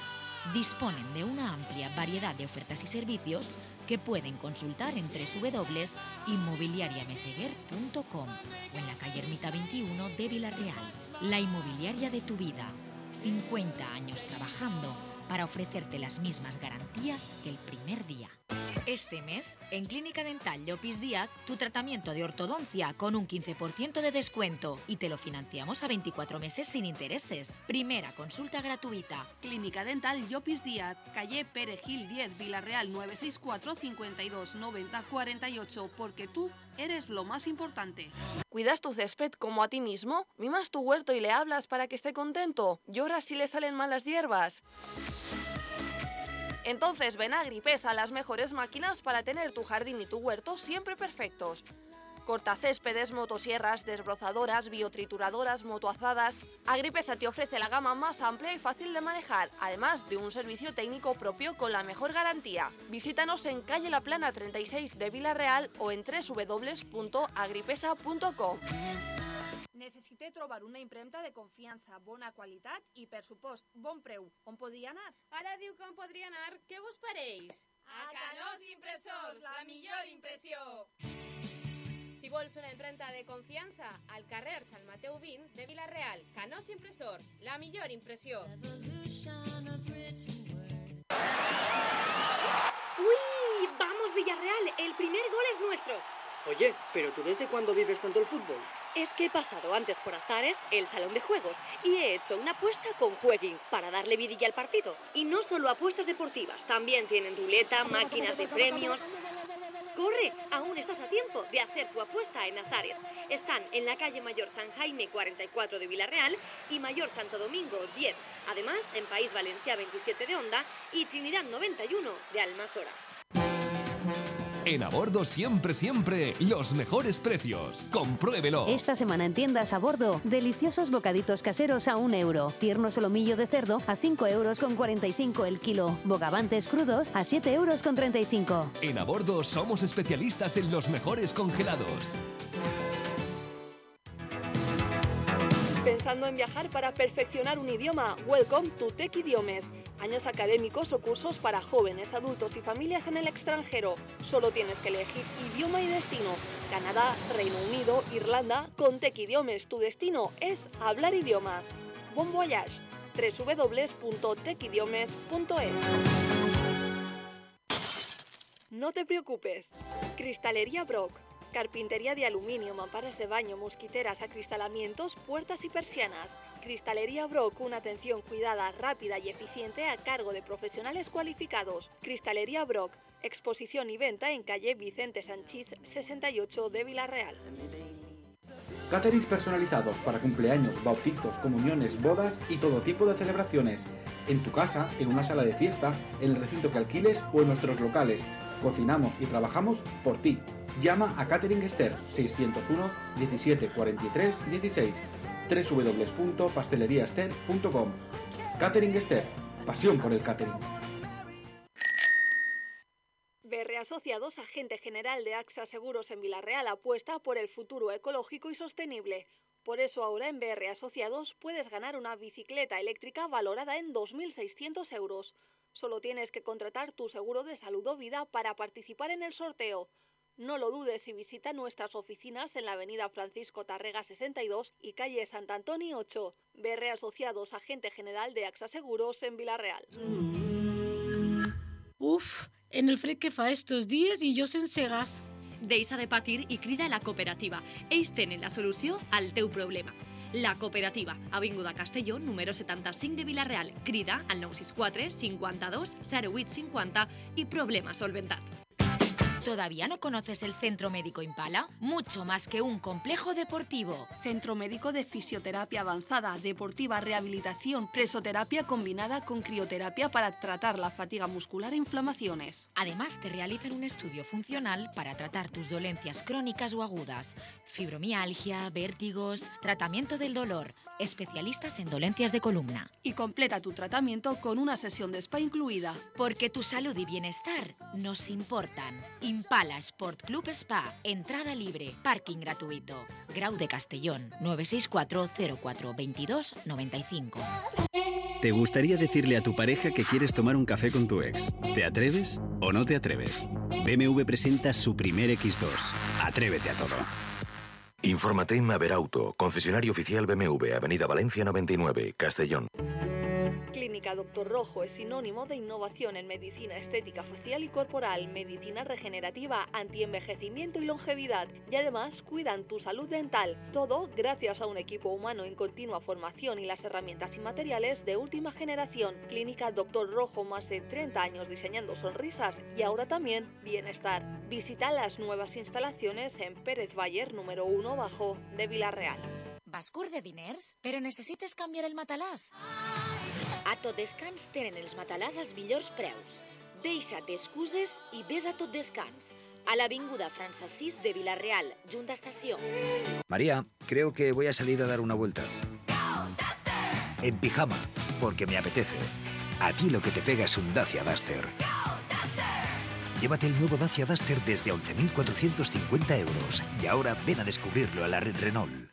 Speaker 1: Disponen de una amplia variedad de ofertas y servicios que pueden consultar en doble u doble u doble u punto inmobiliaria meseguer punto com o en la calle Ermita veintiuno de Villarreal. La inmobiliaria de tu vida. cincuenta años trabajando para ofrecerte las mismas garantías que el primer día. Este mes, en Clínica Dental Llopis Díaz, tu tratamiento de ortodoncia con un quince por ciento de descuento y te lo financiamos a veinticuatro meses sin intereses. Primera consulta gratuita.
Speaker 6: Clínica Dental Llopis Díaz, calle Perejil diez, Villarreal nueve seis cuatro, cincuenta y dos, noventa, cuarenta y ocho, porque tú eres lo más importante.
Speaker 13: ¿Cuidas tu césped como a ti mismo? ¿Mimas tu huerto y le hablas para que esté contento? ¿Lloras si le salen malas hierbas? Entonces ven a Agripesa, las mejores máquinas para tener tu jardín y tu huerto siempre perfectos. Cortacéspedes, motosierras, desbrozadoras, biotrituradoras, motoazadas. Agripesa te ofrece la gama más amplia y fácil de manejar, además de un servicio técnico propio con la mejor garantía. Visítanos en calle La Plana treinta y seis de Villarreal o en doble u doble u doble u punto agripesa punto com.
Speaker 6: Necessite trobar una impremta de confiança, bona qualitat i, per supost, bon preu. On podria anar?
Speaker 14: Ara diu que on podria anar, què vos pareix? A Canós Impressors, la millor impressió! Si vols una impremta de confiança, al carrer Sant Mateu vint de Villarreal, Canós Impressors, la millor impressió.
Speaker 15: ¡Uy! ¡Vamos, Villarreal! El primer gol es nuestro.
Speaker 16: Oye, ¿pero tú desde cuándo vives tanto el fútbol?
Speaker 15: Es que he pasado antes por Azares, el salón de juegos, y he hecho una apuesta con Jueguin para darle vidilla al partido. Y no solo apuestas deportivas, también tienen ruleta, máquinas de premios. ¡Corre! Aún estás a tiempo de hacer tu apuesta en Azares. Están en la calle Mayor San Jaime cuarenta y cuatro de Villarreal y Mayor Santo Domingo diez. Además, en País Valencià veintisiete de Onda y Trinidad noventa y uno de Almasora.
Speaker 17: En Abordo siempre, siempre, los mejores precios. Compruébelo.
Speaker 18: Esta semana en tiendas a bordo, deliciosos bocaditos caseros a un euro. Tierno solomillo de cerdo a cinco euros con cuarenta y cinco el kilo. Bogavantes crudos a siete euros con treinta y cinco.
Speaker 17: En Abordo somos especialistas en los mejores congelados.
Speaker 6: ¿Pensando en viajar para perfeccionar un idioma? Welcome to Tech Idiomes. Años académicos o cursos para jóvenes, adultos y familias en el extranjero. Solo tienes que elegir idioma y destino. Canadá, Reino Unido, Irlanda. Con Tech Idiomes tu destino es hablar idiomas. Bon voyage. doble u doble u doble u punto tech idiomes punto es. No te preocupes. Cristalería Brock. Carpintería de aluminio, mamparas de baño, mosquiteras, acristalamientos, puertas y persianas. Cristalería Brock, una atención cuidada, rápida y eficiente a cargo de profesionales cualificados. Cristalería Brock, exposición y venta en calle Vicente Sanchís sesenta y ocho de Vila-real.
Speaker 19: Caterings personalizados para cumpleaños, bautizos, comuniones, bodas y todo tipo de celebraciones. En tu casa, en una sala de fiesta, en el recinto que alquiles o en nuestros locales. Cocinamos y trabajamos por ti. Llama a Catering Esther seiscientos uno diecisiete cuarenta y tres dieciséis doble u doble u doble u punto pastelería ester punto com. Catering Esther, pasión por el catering.
Speaker 6: B R Asociados, agente general de AXA Seguros en Vila-real, apuesta por el futuro ecológico y sostenible. Por eso ahora en B R Asociados puedes ganar una bicicleta eléctrica valorada en dos mil seiscientos euros. Solo tienes que contratar tu seguro de salud o vida para participar en el sorteo. No lo dudes y visita nuestras oficinas en la avenida Francisco Tarrega sesenta y dos y calle Sant Antoni ocho. B R Asociados, agente general de AXA Seguros en Vila-real.
Speaker 20: Uf, en el fred que fa estos dies i jo sense gas.
Speaker 15: Deixa de patir i crida a la cooperativa. Ells tenen la solució al teu problema. La Cooperativa, Avinguda Castelló, número setanta-cinc de Vila-real. Crida al nou sis quatre cinquanta-dos zero vuit cinquanta i problema solventat.
Speaker 1: ¿Todavía no conoces el Centro Médico Impala? Mucho más que un complejo deportivo.
Speaker 6: Centro Médico de Fisioterapia Avanzada, Deportiva, Rehabilitación, Presoterapia combinada con crioterapia para tratar la fatiga muscular e inflamaciones.
Speaker 1: Además, te realizan un estudio funcional para tratar tus dolencias crónicas o agudas. Fibromialgia, vértigos, tratamiento del dolor. Especialistas en dolencias de columna.
Speaker 6: Y completa tu tratamiento con una sesión de spa incluida.
Speaker 1: Porque tu salud y bienestar nos importan. Impala Sport Club Spa. Entrada libre. Parking gratuito. Grau de Castellón. nueve seis cuatro cero cuatro veintidós noventa y cinco.
Speaker 21: ¿Te gustaría decirle a tu pareja que quieres tomar un café con tu ex? ¿Te atreves o no te atreves? B M W presenta su primer equis dos. Atrévete a todo.
Speaker 22: Infórmate en Maverauto, concesionario oficial B M W, Avenida Valencia noventa y nueve, Castellón.
Speaker 6: Clínica Doctor Rojo es sinónimo de innovación en medicina estética facial y corporal, medicina regenerativa, antienvejecimiento y longevidad. Y además cuidan tu salud dental. Todo gracias a un equipo humano en continua formación y las herramientas y materiales de última generación. Clínica Doctor Rojo, más de treinta años diseñando sonrisas y ahora también bienestar. Visita las nuevas instalaciones en Pérez Bayer número uno bajo de Vila-real.
Speaker 1: Vas curt de diners, però necessites canviar el matalàs? A Tot Descans tenen els matalàs als millors preus. Deixa't d'excuses i ves a Tot Descans, a l'avinguda França sis de Vila-real, junt a estació.
Speaker 23: María, creo que voy a salir a dar una vuelta. En pijama, porque me apetece. A ti lo que te pega es un Dacia Duster. Llévate el nuevo Dacia Duster desde once mil cuatrocientos cincuenta euros y ahora ven a descubrirlo a la red Renault.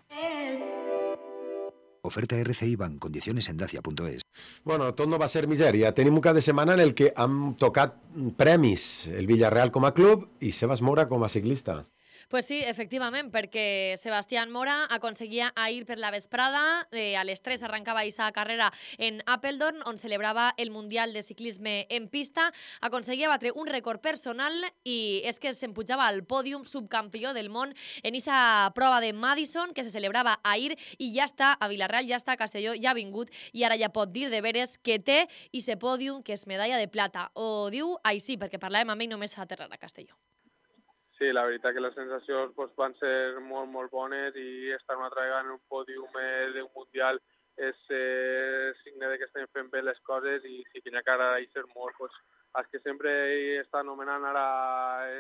Speaker 23: Oferta R C I Bank, condiciones en dacia punto es.
Speaker 11: Bueno, tot no va ser misèria. Tenim un cap de setmana en el que hem tocat premis. El Villarreal com a club i Sebas Mora com a ciclista.
Speaker 8: Pues sí, efectivament, perquè Sebastián Mora aconseguia ahir per la vesprada, eh, a les tres arrencava aquesta carrera en Apeldoorn, on celebrava el Mundial de Ciclisme en pista, aconseguia batre un rècord personal i és que s'empujava al pòdium subcampió del món en aquesta prova de Madison que se celebrava ahir i ja està a Vila-real, ja està a Castelló, ja ha vingut i ara ja pot dir de veres que té i se pòdium que és medalla de plata. Ho diu així, perquè parlàvem amb ell només a aterrar a Castelló.
Speaker 24: Sí, la veritat que les sensacions pues, van ser molt, molt bones i estar una altra vegada en un pòdium eh, d'un Mundial és eh, signe de que estem fent bé les coses i si quina cara hi ser molt, pues, els que sempre estan anomenant ara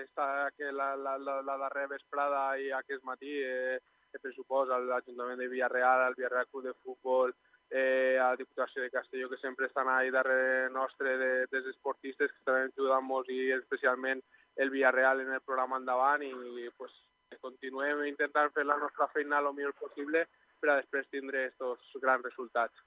Speaker 24: esta, que la, la, la, la darrera vesprada i aquest matí, eh, que pressuposa l'Ajuntament de Villarreal, el Villarreal Club de Futbol, eh, a la Diputació de Castelló, que sempre estan ahí darrere nostre de, dels esportistes, que estan ajudant molt i especialment el Villarreal en el programa endavant i pues, continuem intentant fer la nostra feina el millor possible per a després tindre aquests grans resultats.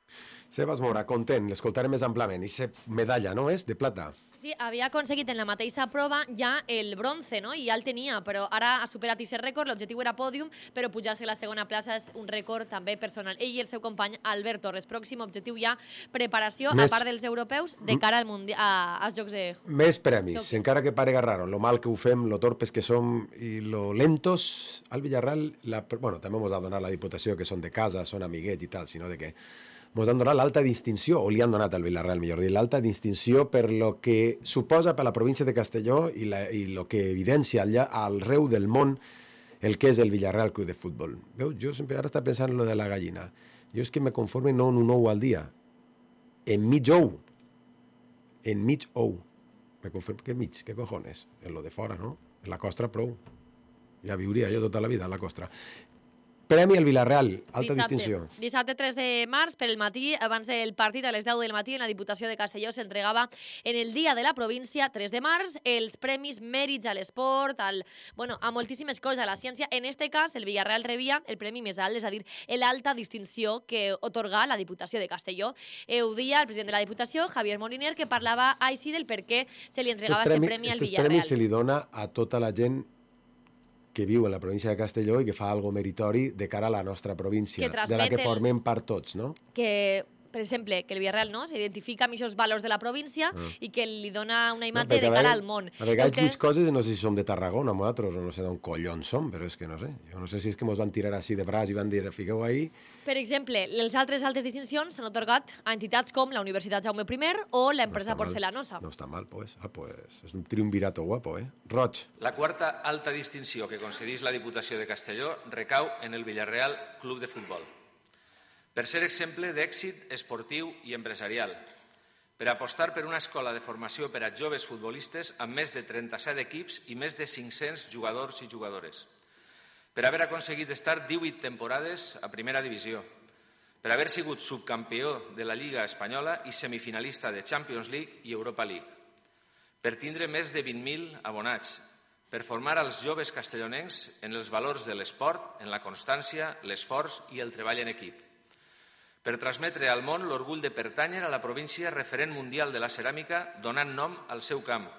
Speaker 11: Sebas Mora, content, l'escoltarem més amplament. I se medalla, no és? De plata.
Speaker 8: Sí, havia aconseguit en la mateixa prova ja el bronze, no? I ja el tenia, però ara ha superat aquest rècord. L'objectiu era pòdium, però pujar-se a la segona plaça és un rècord també personal. Ell i el seu company Albert Torres. Pròxim objectiu ja, preparació,
Speaker 11: Més...
Speaker 8: a part dels europeus, de cara al mundi... a... als Jocs de...
Speaker 11: Més premis, Jocs. Encara que parega raro, lo mal que ho fem, lo torpes que som i lo lentos, al Villarreal, la... bueno, també ens ha donat la Diputació, que són de casa, són amiguets i tal, sinó de que ens han donat l'alta distinció, o li han donat al Villarreal, millor dir, l'alta distinció per lo que suposa per la província de Castelló i, la, i lo que evidencia allà arreu del món el que és el Villarreal Club de Futbol. Veus, jo sempre ara estava pensant en lo de la gallina. Jo és que me conforme no en un ou al dia, en mig ou, en mig ou. Me conforme, què mig, què cojones? En lo de fora, no? En la costra prou. Ja viuria jo tota la vida en la costra. Premi al Villarreal, alta
Speaker 8: dissabte,
Speaker 11: distinció.
Speaker 8: Dissabte tres de març, per el matí, abans del partit, a les deu del matí, en la Diputació de Castelló s'entregava en el Dia de la Província, tres de març, els premis mèrits a l'esport, al, bueno, a moltíssimes coses, a la ciència. En este cas, el Villarreal rebia el premi més alt, és a dir, l'alta distinció que otorga la Diputació de Castelló. Heu dia el president de la Diputació, Javier Moliner, que parlava així del per què se li entregava aquest premi al Villarreal.
Speaker 11: Aquest premi se li dona a tota la gent que viu en la província de Castelló i que fa algo meritori de cara a la nostra província, de la que formem part tots, no?
Speaker 8: Que, per exemple, que el Villarreal no s'identifica amb aquests valors de la província ah. i que li dona una imatge no, de cara al món.
Speaker 11: A vegades aquestes coses, no sé si som de Tarragona, nosaltres, o no sé d'on collons som, però és que no sé. Jo no sé si és que ens van tirar així de braç i van dir, fiqueu ahí.
Speaker 8: Per exemple, les altres altes distincions s'han otorgat a entitats com la Universitat Jaume primer o l'empresa
Speaker 11: no
Speaker 8: Porcelanosa.
Speaker 11: No està mal, pues. Ah, pues és un triunvirato guapo, eh? Roig.
Speaker 2: La quarta alta distinció que concedís la Diputació de Castelló recau en el Villarreal Club de Futbol. Per ser exemple d'èxit esportiu i empresarial, per apostar per una escola de formació per a joves futbolistes amb més de trenta-set equips i més de cinc-cents jugadors i jugadores, per haver aconseguit estar divuit temporades a primera divisió, per haver sigut subcampió de la Lliga Espanyola i semifinalista de Champions League i Europa League, per tindre més de vint mil abonats, per formar als joves castellonencs en els valors de l'esport, en la constància, l'esforç i el treball en equip, per transmetre al món l'orgull de pertànyer a la província referent mundial de la ceràmica donant nom al seu camp,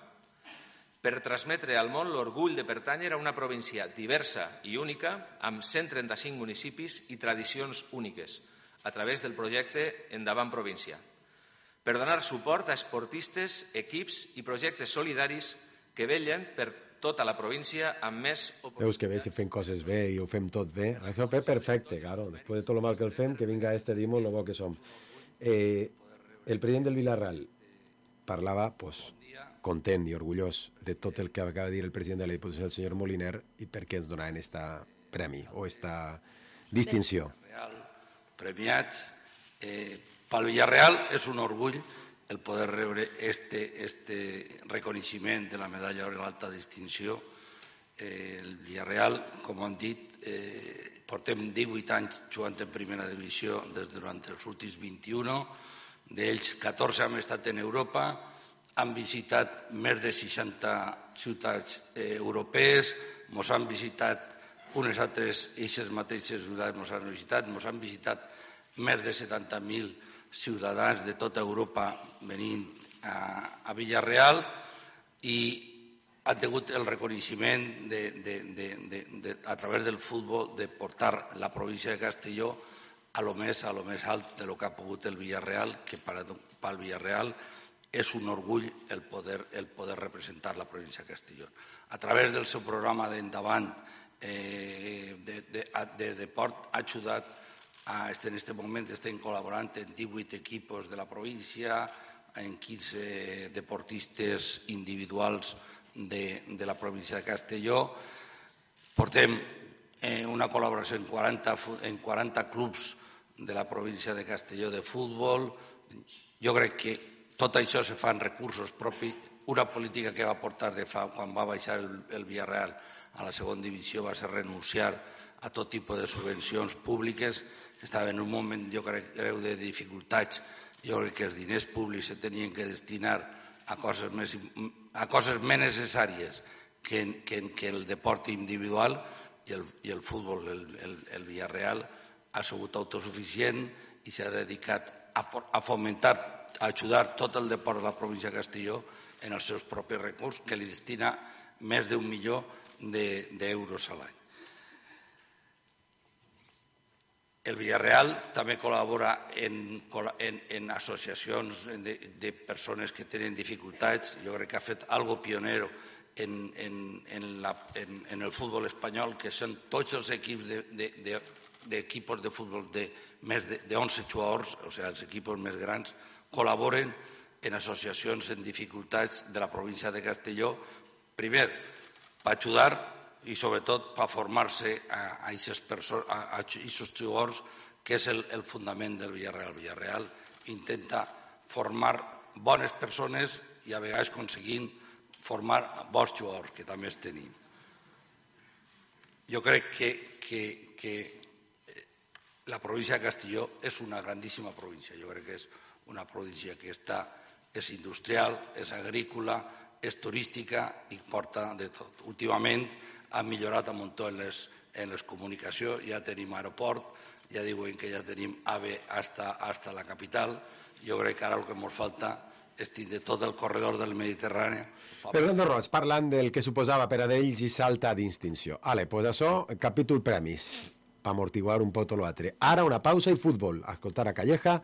Speaker 2: per transmetre al món l'orgull de pertànyer a una província diversa i única amb cent trenta-cinc municipis i tradicions úniques a través del projecte Endavant Província, per donar suport a esportistes, equips i projectes solidaris que vetllen per tota la província amb més...
Speaker 11: Veus que bé, si fem coses bé i ho fem tot bé. Això és perfecte, claro. Després de tot el mal que el fem, que vinga este dimo lo bo que som. Eh, el president del Villarreal parlava, pues, content i orgullós de tot el que acaba de dir el president de la Diputació, el senyor Moliner, i per què ens donaven esta premi o esta distinció.
Speaker 3: Premiats. Eh, pel Villarreal és un orgull el poder rebre este, este reconeixement de la medalla de l'alta distinció. Eh, el Villarreal, com han dit, eh, portem divuit anys jugant en primera divisió des durant els últims vint-i-un, d'ells catorze han estat en Europa, han visitat més de seixanta ciutats eh, europees, ens han visitat unes altres, aquestes mateixes ciutats ens han visitat, ens han visitat més de setanta mil ciutadans de tota Europa venint a, a Villarreal i han tingut el reconeixement de, de, de, de, de, a través del futbol de portar la província de Castelló a lo més, a lo més alt de lo que ha pogut el Villarreal, que per al Villarreal és un orgull el poder, el poder representar la província de Castelló. A través del seu programa d'Endavant eh, de, de, de, de Port ha ajudat a, en aquest moment estem col·laborant en divuit equipos de la província, en quinze deportistes individuals de, de la província de Castelló. Portem eh, una col·laboració en quaranta, en quaranta clubs de la província de Castelló de futbol. Jo crec que tot això se fa en recursos propis una política que va portar de fa, quan va baixar el, el Villarreal a la segona divisió va ser renunciar a tot tipus de subvencions públiques. Estava en un moment, jo crec, de dificultats. Jo crec que els diners públics se tenien que destinar a coses més, a coses més necessàries que, que, que el deport individual i el, i el futbol. El, el, el Villarreal ha sigut autosuficient i s'ha dedicat a, a fomentar, a ajudar tot el deport de la província de Castelló en els seus propis recursos, que li destina més d'un milió d'euros a l'any. El Villarreal també col·labora en, en, en associacions de, de persones que tenen dificultats. Jo crec que ha fet algo pionero en, en, en, la, en, en el futbol espanyol, que són tots els equips de, de, de, d'equipos de futbol de més d'onze jugadors, o sigui, els equipos més grans, col·laboren en associacions en dificultats de la província de Castelló, primer, per ajudar i sobretot per formar-se a aquests jugadors, que és el, el fundament del Villarreal. El Villarreal intenta formar bones persones i a vegades aconseguint formar bons jugadors, que també els tenim. Jo crec que, que, que la província de Castelló és una grandíssima província. Jo crec que és una província que està, és industrial, és agrícola, és turística i porta de tot. Últimament ha millorat un muntó en les, en les comunicacions, ja tenim aeroport, ja diuen que ja tenim AVE hasta, hasta la capital. Jo crec que ara el que ens falta és tindre tot el corredor del Mediterrani.
Speaker 11: Fernando Roig, parlant del que suposava per a d'ells i salta d'extinció. Ale, pues això, capítol premis, per amortiguar un poc l'altre. Ara una pausa i futbol. A escoltar a Calleja.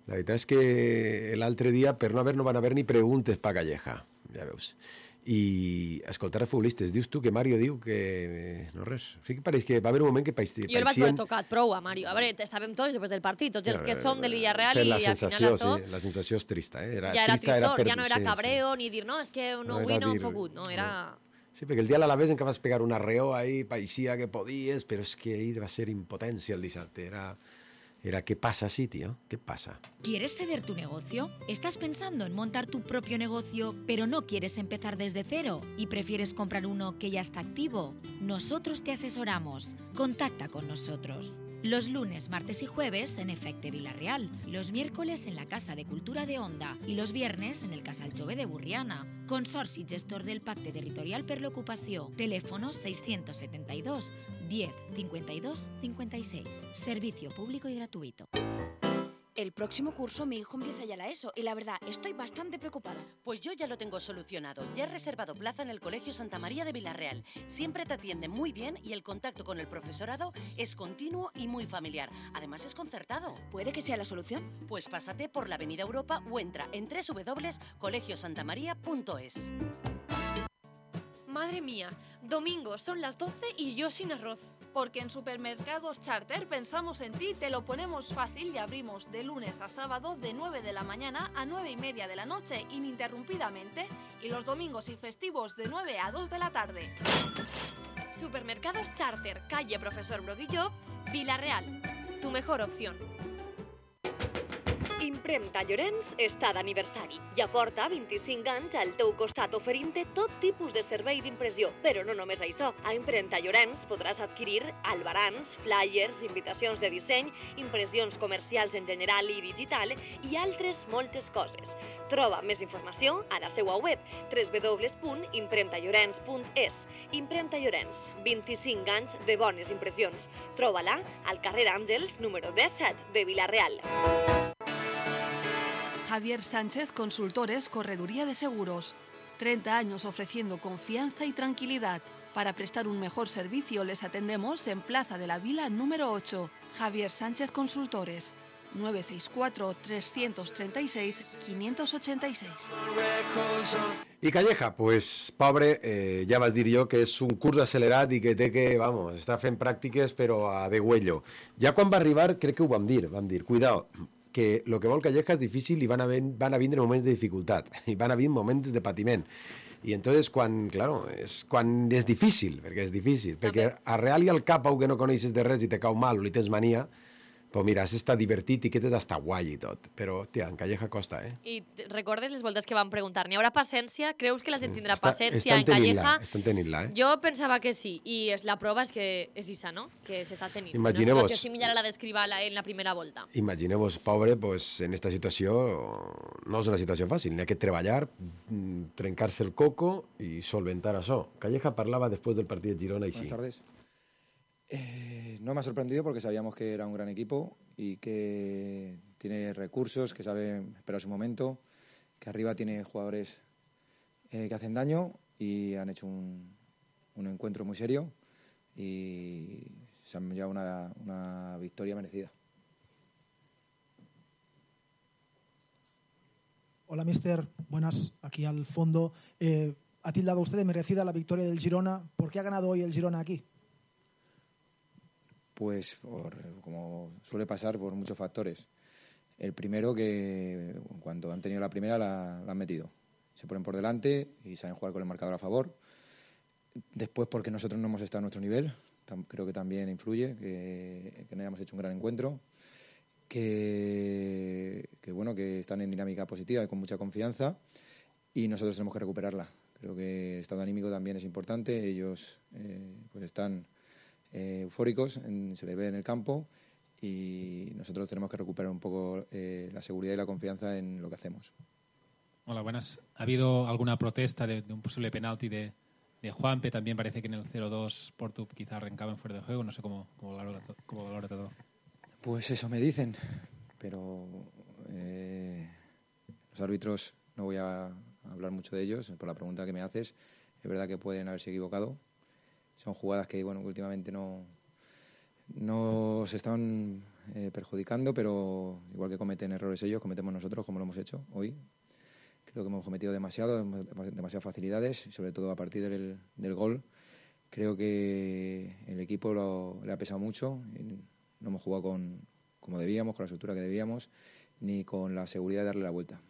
Speaker 11: La veritat és que l'altre dia, per no haver, no van haver ni preguntes per Calleja, ja veus. I escoltar a futbolistes. Dius tu que Mario diu que... No res. Sí que pareix que va haver un moment que paixien...
Speaker 8: Jo el vaig haver tocat prou a Mario. A veure, estàvem tots després del partit, tots els que som del Villarreal i al final això...
Speaker 11: Sí, la sensació és trista, eh?
Speaker 8: Era ja era trista, tristor, era ja no era cabreo ni dir, no, és que no, avui no he pogut, no, era...
Speaker 11: Sí, perquè el dia a l'Alavés en què vas pegar un arreó ahí, paeixia que podies, però és que ahí va ser impotència el dissabte, era... Era, ¿qué pasa así, tío? ¿Qué pasa?
Speaker 1: ¿Quieres ceder tu negocio? ¿Estás pensando en montar tu propio negocio, pero no quieres empezar desde cero y prefieres comprar uno que ya está activo? Nosotros te asesoramos. Contacta con nosotros. Los lunes, martes y jueves en Efecte Villarreal, los miércoles en la Casa de Cultura de Onda y los viernes en el Casal Jove de Burriana. Consorci gestor del Pacte Territorial per l'Ocupació. Teléfono seiscientos setenta y dos, diez, cincuenta y dos, cincuenta y seis. Servicio público y gratuito.
Speaker 4: El próximo curso mi hijo empieza ya la ESO y la verdad estoy bastante preocupada.
Speaker 5: Pues yo ya lo tengo solucionado. Ya he reservado plaza en el Colegio Santa María de Villarreal. Siempre te atienden muy bien y el contacto con el profesorado es continuo y muy familiar. Además es concertado.
Speaker 4: ¿Puede que sea la solución?
Speaker 5: Pues pásate por la Avenida Europa o entra en doble u doble u doble u punto colegio santa maría punto es.
Speaker 7: Madre mía, domingo son las doce y yo sin arroz.
Speaker 13: Porque en Supermercados Charter pensamos en ti, te lo ponemos fácil y abrimos de lunes a sábado de nueve de la mañana a nueve y media de la noche ininterrumpidamente y los domingos y festivos de nueve a dos de la tarde.
Speaker 7: Supermercados Charter, calle Profesor Brodillo, Villarreal. Tu mejor opción.
Speaker 15: Impremta Llorenç està d'aniversari i aporta vint-i-cinc anys al teu costat oferint-te tot tipus de servei d'impressió. Però no només això. A Impremta Llorenç podràs adquirir albarans, flyers, invitacions de disseny, impressions comercials en general i digital i altres moltes coses. Troba més informació a la seva web doble u doble u doble u punt impremta llorenç punt es. Impremta Llorenç, vint-i-cinc anys de bones impressions. Troba-la al carrer Àngels, número disset de Villarreal.
Speaker 13: Javier Sánchez Consultores, Correduría de Seguros. treinta años ofreciendo confianza y tranquilidad. Para prestar un mejor servicio les atendemos en Plaza de la Vila número ocho. Javier Sánchez Consultores. nueve seis cuatro, tres tres seis, cinco ocho seis.
Speaker 11: I Calleja, pues, pobre, eh, ja vas dir jo que és un curs accelerat i que té que, vamos, està fent pràctiques però a degüello. Ja quan va arribar crec que ho vam dir, vam dir, cuidao, que el que vol Calleja és difícil i van a, ven, van a vindre moments de dificultat, i van a vindre moments de patiment. I entonces quan, claro, és, quan és difícil, perquè és difícil, perquè arreal-li al cap a un que no coneixes de res i te cau mal o li tens mania, Pues mira, has estat divertit i que és hasta guai i tot. Però, hòstia, en Calleja costa, eh?
Speaker 8: I recordes les voltes que van preguntar, n'hi haurà paciència? Creus que la gent tindrà
Speaker 11: Està-
Speaker 8: paciència
Speaker 11: estan
Speaker 8: en Calleja?
Speaker 11: tenint-la, estan tenint-la, eh?
Speaker 8: Jo pensava que sí, i és, la prova és que és isa, no? Que s'està tenint.
Speaker 11: Imagineu-vos-
Speaker 8: Una situació similar a la describa la- en la primera volta.
Speaker 11: Imagineu-vos, pobre, pues, en esta situació no és una situació fàcil. N'hi ha que treballar, mm, trencar-se el coco i solventar això. Calleja parlava després del partit de Girona i sí.
Speaker 9: Buenas tardes. Eh, no me ha sorprendido porque sabíamos que era un gran equipo y que tiene recursos, que sabe esperar su momento, que arriba tiene jugadores eh, que hacen daño y han hecho un, un encuentro muy serio y se han llevado una, una victoria merecida.
Speaker 10: Hola, mister. Buenas. Aquí al fondo. Eh, ¿Ha tildado usted de merecida la victoria del Girona? ¿Por qué ha ganado hoy el Girona aquí?
Speaker 9: Pues, por, como suele pasar, por muchos factores. El primero, que cuando han tenido la primera la, la han metido. Se ponen por delante y saben jugar con el marcador a favor. Después, porque nosotros no hemos estado a nuestro nivel. Tam, creo que también influye que, que no hayamos hecho un gran encuentro. Que, que, bueno, que están en dinámica positiva y con mucha confianza. Y nosotros tenemos que recuperarla. Creo que el estado anímico también es importante. Ellos eh, pues están eh, eufóricos, en, se les ve en el campo y nosotros tenemos que recuperar un poco eh, la seguridad y la confianza en lo que hacemos.
Speaker 12: Hola, buenas. ¿Ha habido alguna protesta de, de un posible penalti de, de Juanpe? También parece que en el cero dos Porto quizá arrancaban fuera de juego. No sé cómo, cómo, valora, cómo valora todo.
Speaker 9: Pues eso me dicen, pero eh, los árbitros, no voy a hablar mucho de ellos por la pregunta que me haces. Es verdad que pueden haberse equivocado. Son jugadas que, bueno, últimamente no, no se están eh, perjudicando, pero igual que cometen errores ellos, cometemos nosotros, como lo hemos hecho hoy. Creo que hemos cometido demasiado, demasiadas facilidades, y sobre todo a partir del, del gol. Creo que el equipo lo, le ha pesado mucho. Y no hemos jugado con, como debíamos, con la estructura que debíamos, ni con la seguridad de darle la vuelta.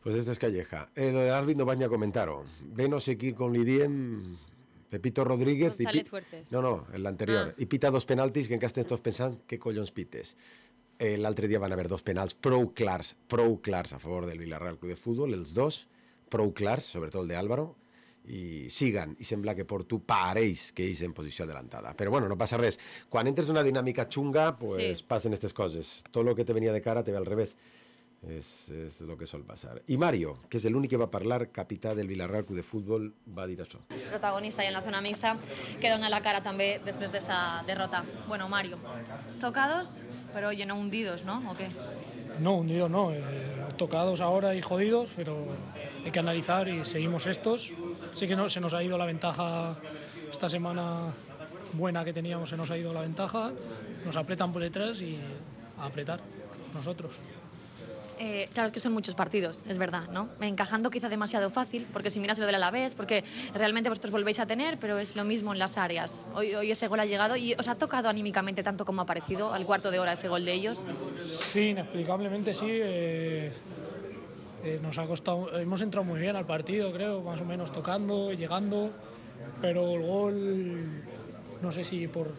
Speaker 11: Pues esta es Calleja. Eh, lo del árbitro no vaig a comentar-ho. Ve no sé qui com li diem, Pepito Rodríguez...
Speaker 8: González
Speaker 11: i pi...
Speaker 8: Fuertes.
Speaker 11: No, no, l'anterior.
Speaker 8: Ah.
Speaker 11: I pita dos penaltis que encara estàs pensant què collons pites. Eh, L'altre dia van haver dos penals prou clars, prou clars a favor del Villarreal Club de Futbol, els dos, prou clars, sobretot el de Álvaro, i siguen, i sembla que Porto pareix que ells en posició adelantada. Però bueno, no passa res. Quan entres en una dinàmica xunga, pues
Speaker 8: Sí.
Speaker 11: passen aquestes coses. Tot el que te venia de cara te ve al revés. És, és el que sol passar. I Mario, que és l'únic que va parlar, capità del Villarreal Club de Futbol, va dir això.
Speaker 8: Protagonista y en la zona mixta, que dona la cara també després d'esta derrota. Bueno, Mario, tocados, pero oye, no hundidos, ¿no? ¿O qué?
Speaker 10: No, hundidos no. Eh, tocados ahora y jodidos, pero hay que analizar y seguimos estos. Sí que no, se nos ha ido la ventaja esta semana buena que teníamos, se nos ha ido la ventaja. Nos apretan por detrás y a apretar nosotros.
Speaker 8: Eh, claro, es que son muchos partidos, es verdad, ¿no? Encajando quizá demasiado fácil, porque si miras lo del Alavés, porque realmente vosotros volvéis a tener, pero es lo mismo en las áreas. Hoy, hoy ese gol ha llegado y os ha tocado anímicamente tanto como ha parecido al cuarto de hora ese gol de ellos.
Speaker 10: Sí, inexplicablemente sí. Eh, eh, nos ha costado, hemos entrado muy bien al partido, creo, más o menos tocando, llegando, pero el gol, no sé si por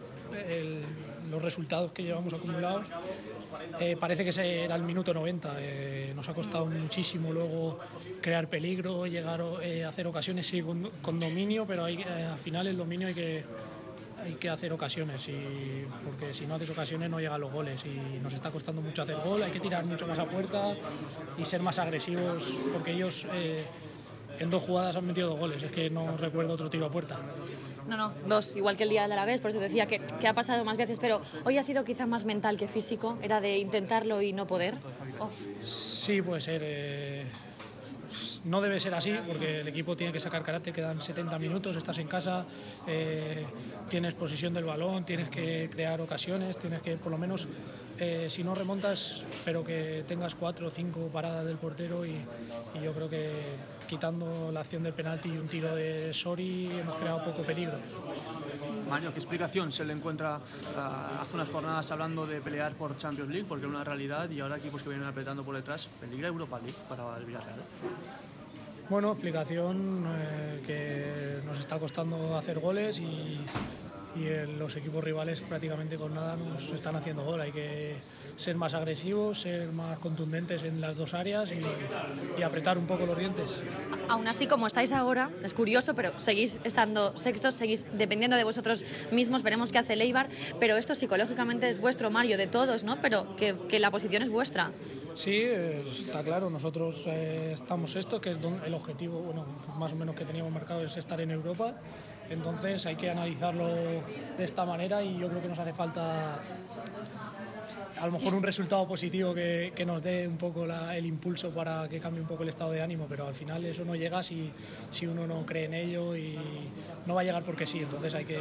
Speaker 10: el, los resultados que llevamos acumulados, eh, parece que ese era el minuto noventa. Eh, nos ha costado muchísimo luego crear peligro, llegar a eh, hacer ocasiones sí, con, con dominio, pero hay, eh, al final el dominio hay que, hay que hacer ocasiones, y, porque si no haces ocasiones no llegan los goles y nos está costando mucho hacer gol. Hay que tirar mucho más a puerta y ser más agresivos, porque ellos eh, en dos jugadas han metido dos goles. Es que no recuerdo otro tiro a puerta.
Speaker 8: No, no, dos, igual que el día de Alavés, por eso decía que, que ha pasado más veces, pero hoy ha sido quizá más mental que físico, era de intentarlo y no poder. Oh.
Speaker 10: Sí, puede ser. Eh, no debe ser así, porque el equipo tiene que sacar carácter, quedan setenta minutos, estás en casa, eh, tienes posesión del balón, tienes que crear ocasiones, tienes que, por lo menos, eh, si no remontas, pero que tengas cuatro o cinco paradas del portero, y, y yo creo que quitando la acción del penalti y un tiro de Sori hemos creado poco peligro.
Speaker 14: Mario, ¿qué explicación se le encuentra uh, hace unas jornadas hablando de pelear por Champions League, porque era una realidad, y ahora equipos que vienen apretando por detrás? ¿Peligra Europa League para el Villarreal?
Speaker 10: Bueno, explicación eh, que nos está costando hacer goles y, y el- los equipos rivales prácticamente con nada nos están haciendo gol. Hay que ser más agresivos, ser más contundentes en las dos áreas y, y apretar un poco los dientes.
Speaker 8: Aún así, como estáis ahora, es curioso, pero seguís estando sextos, seguís dependiendo de vosotros mismos, veremos qué hace el Eibar, pero esto psicológicamente es vuestro, Mario, de todos, ¿no? Pero que, que la posición es vuestra.
Speaker 10: Sí, eh, está claro, nosotros eh, estamos esto, que es don- el objetivo, bueno, más o menos que teníamos marcado es estar en Europa, entonces hay que analizarlo de esta manera y yo creo que nos hace falta a lo mejor un resultado positivo que, que nos dé un poco la- el impulso para que cambie un poco el estado de ánimo, pero al final eso no llega si, si uno no cree en ello y no va a llegar porque sí, entonces hay que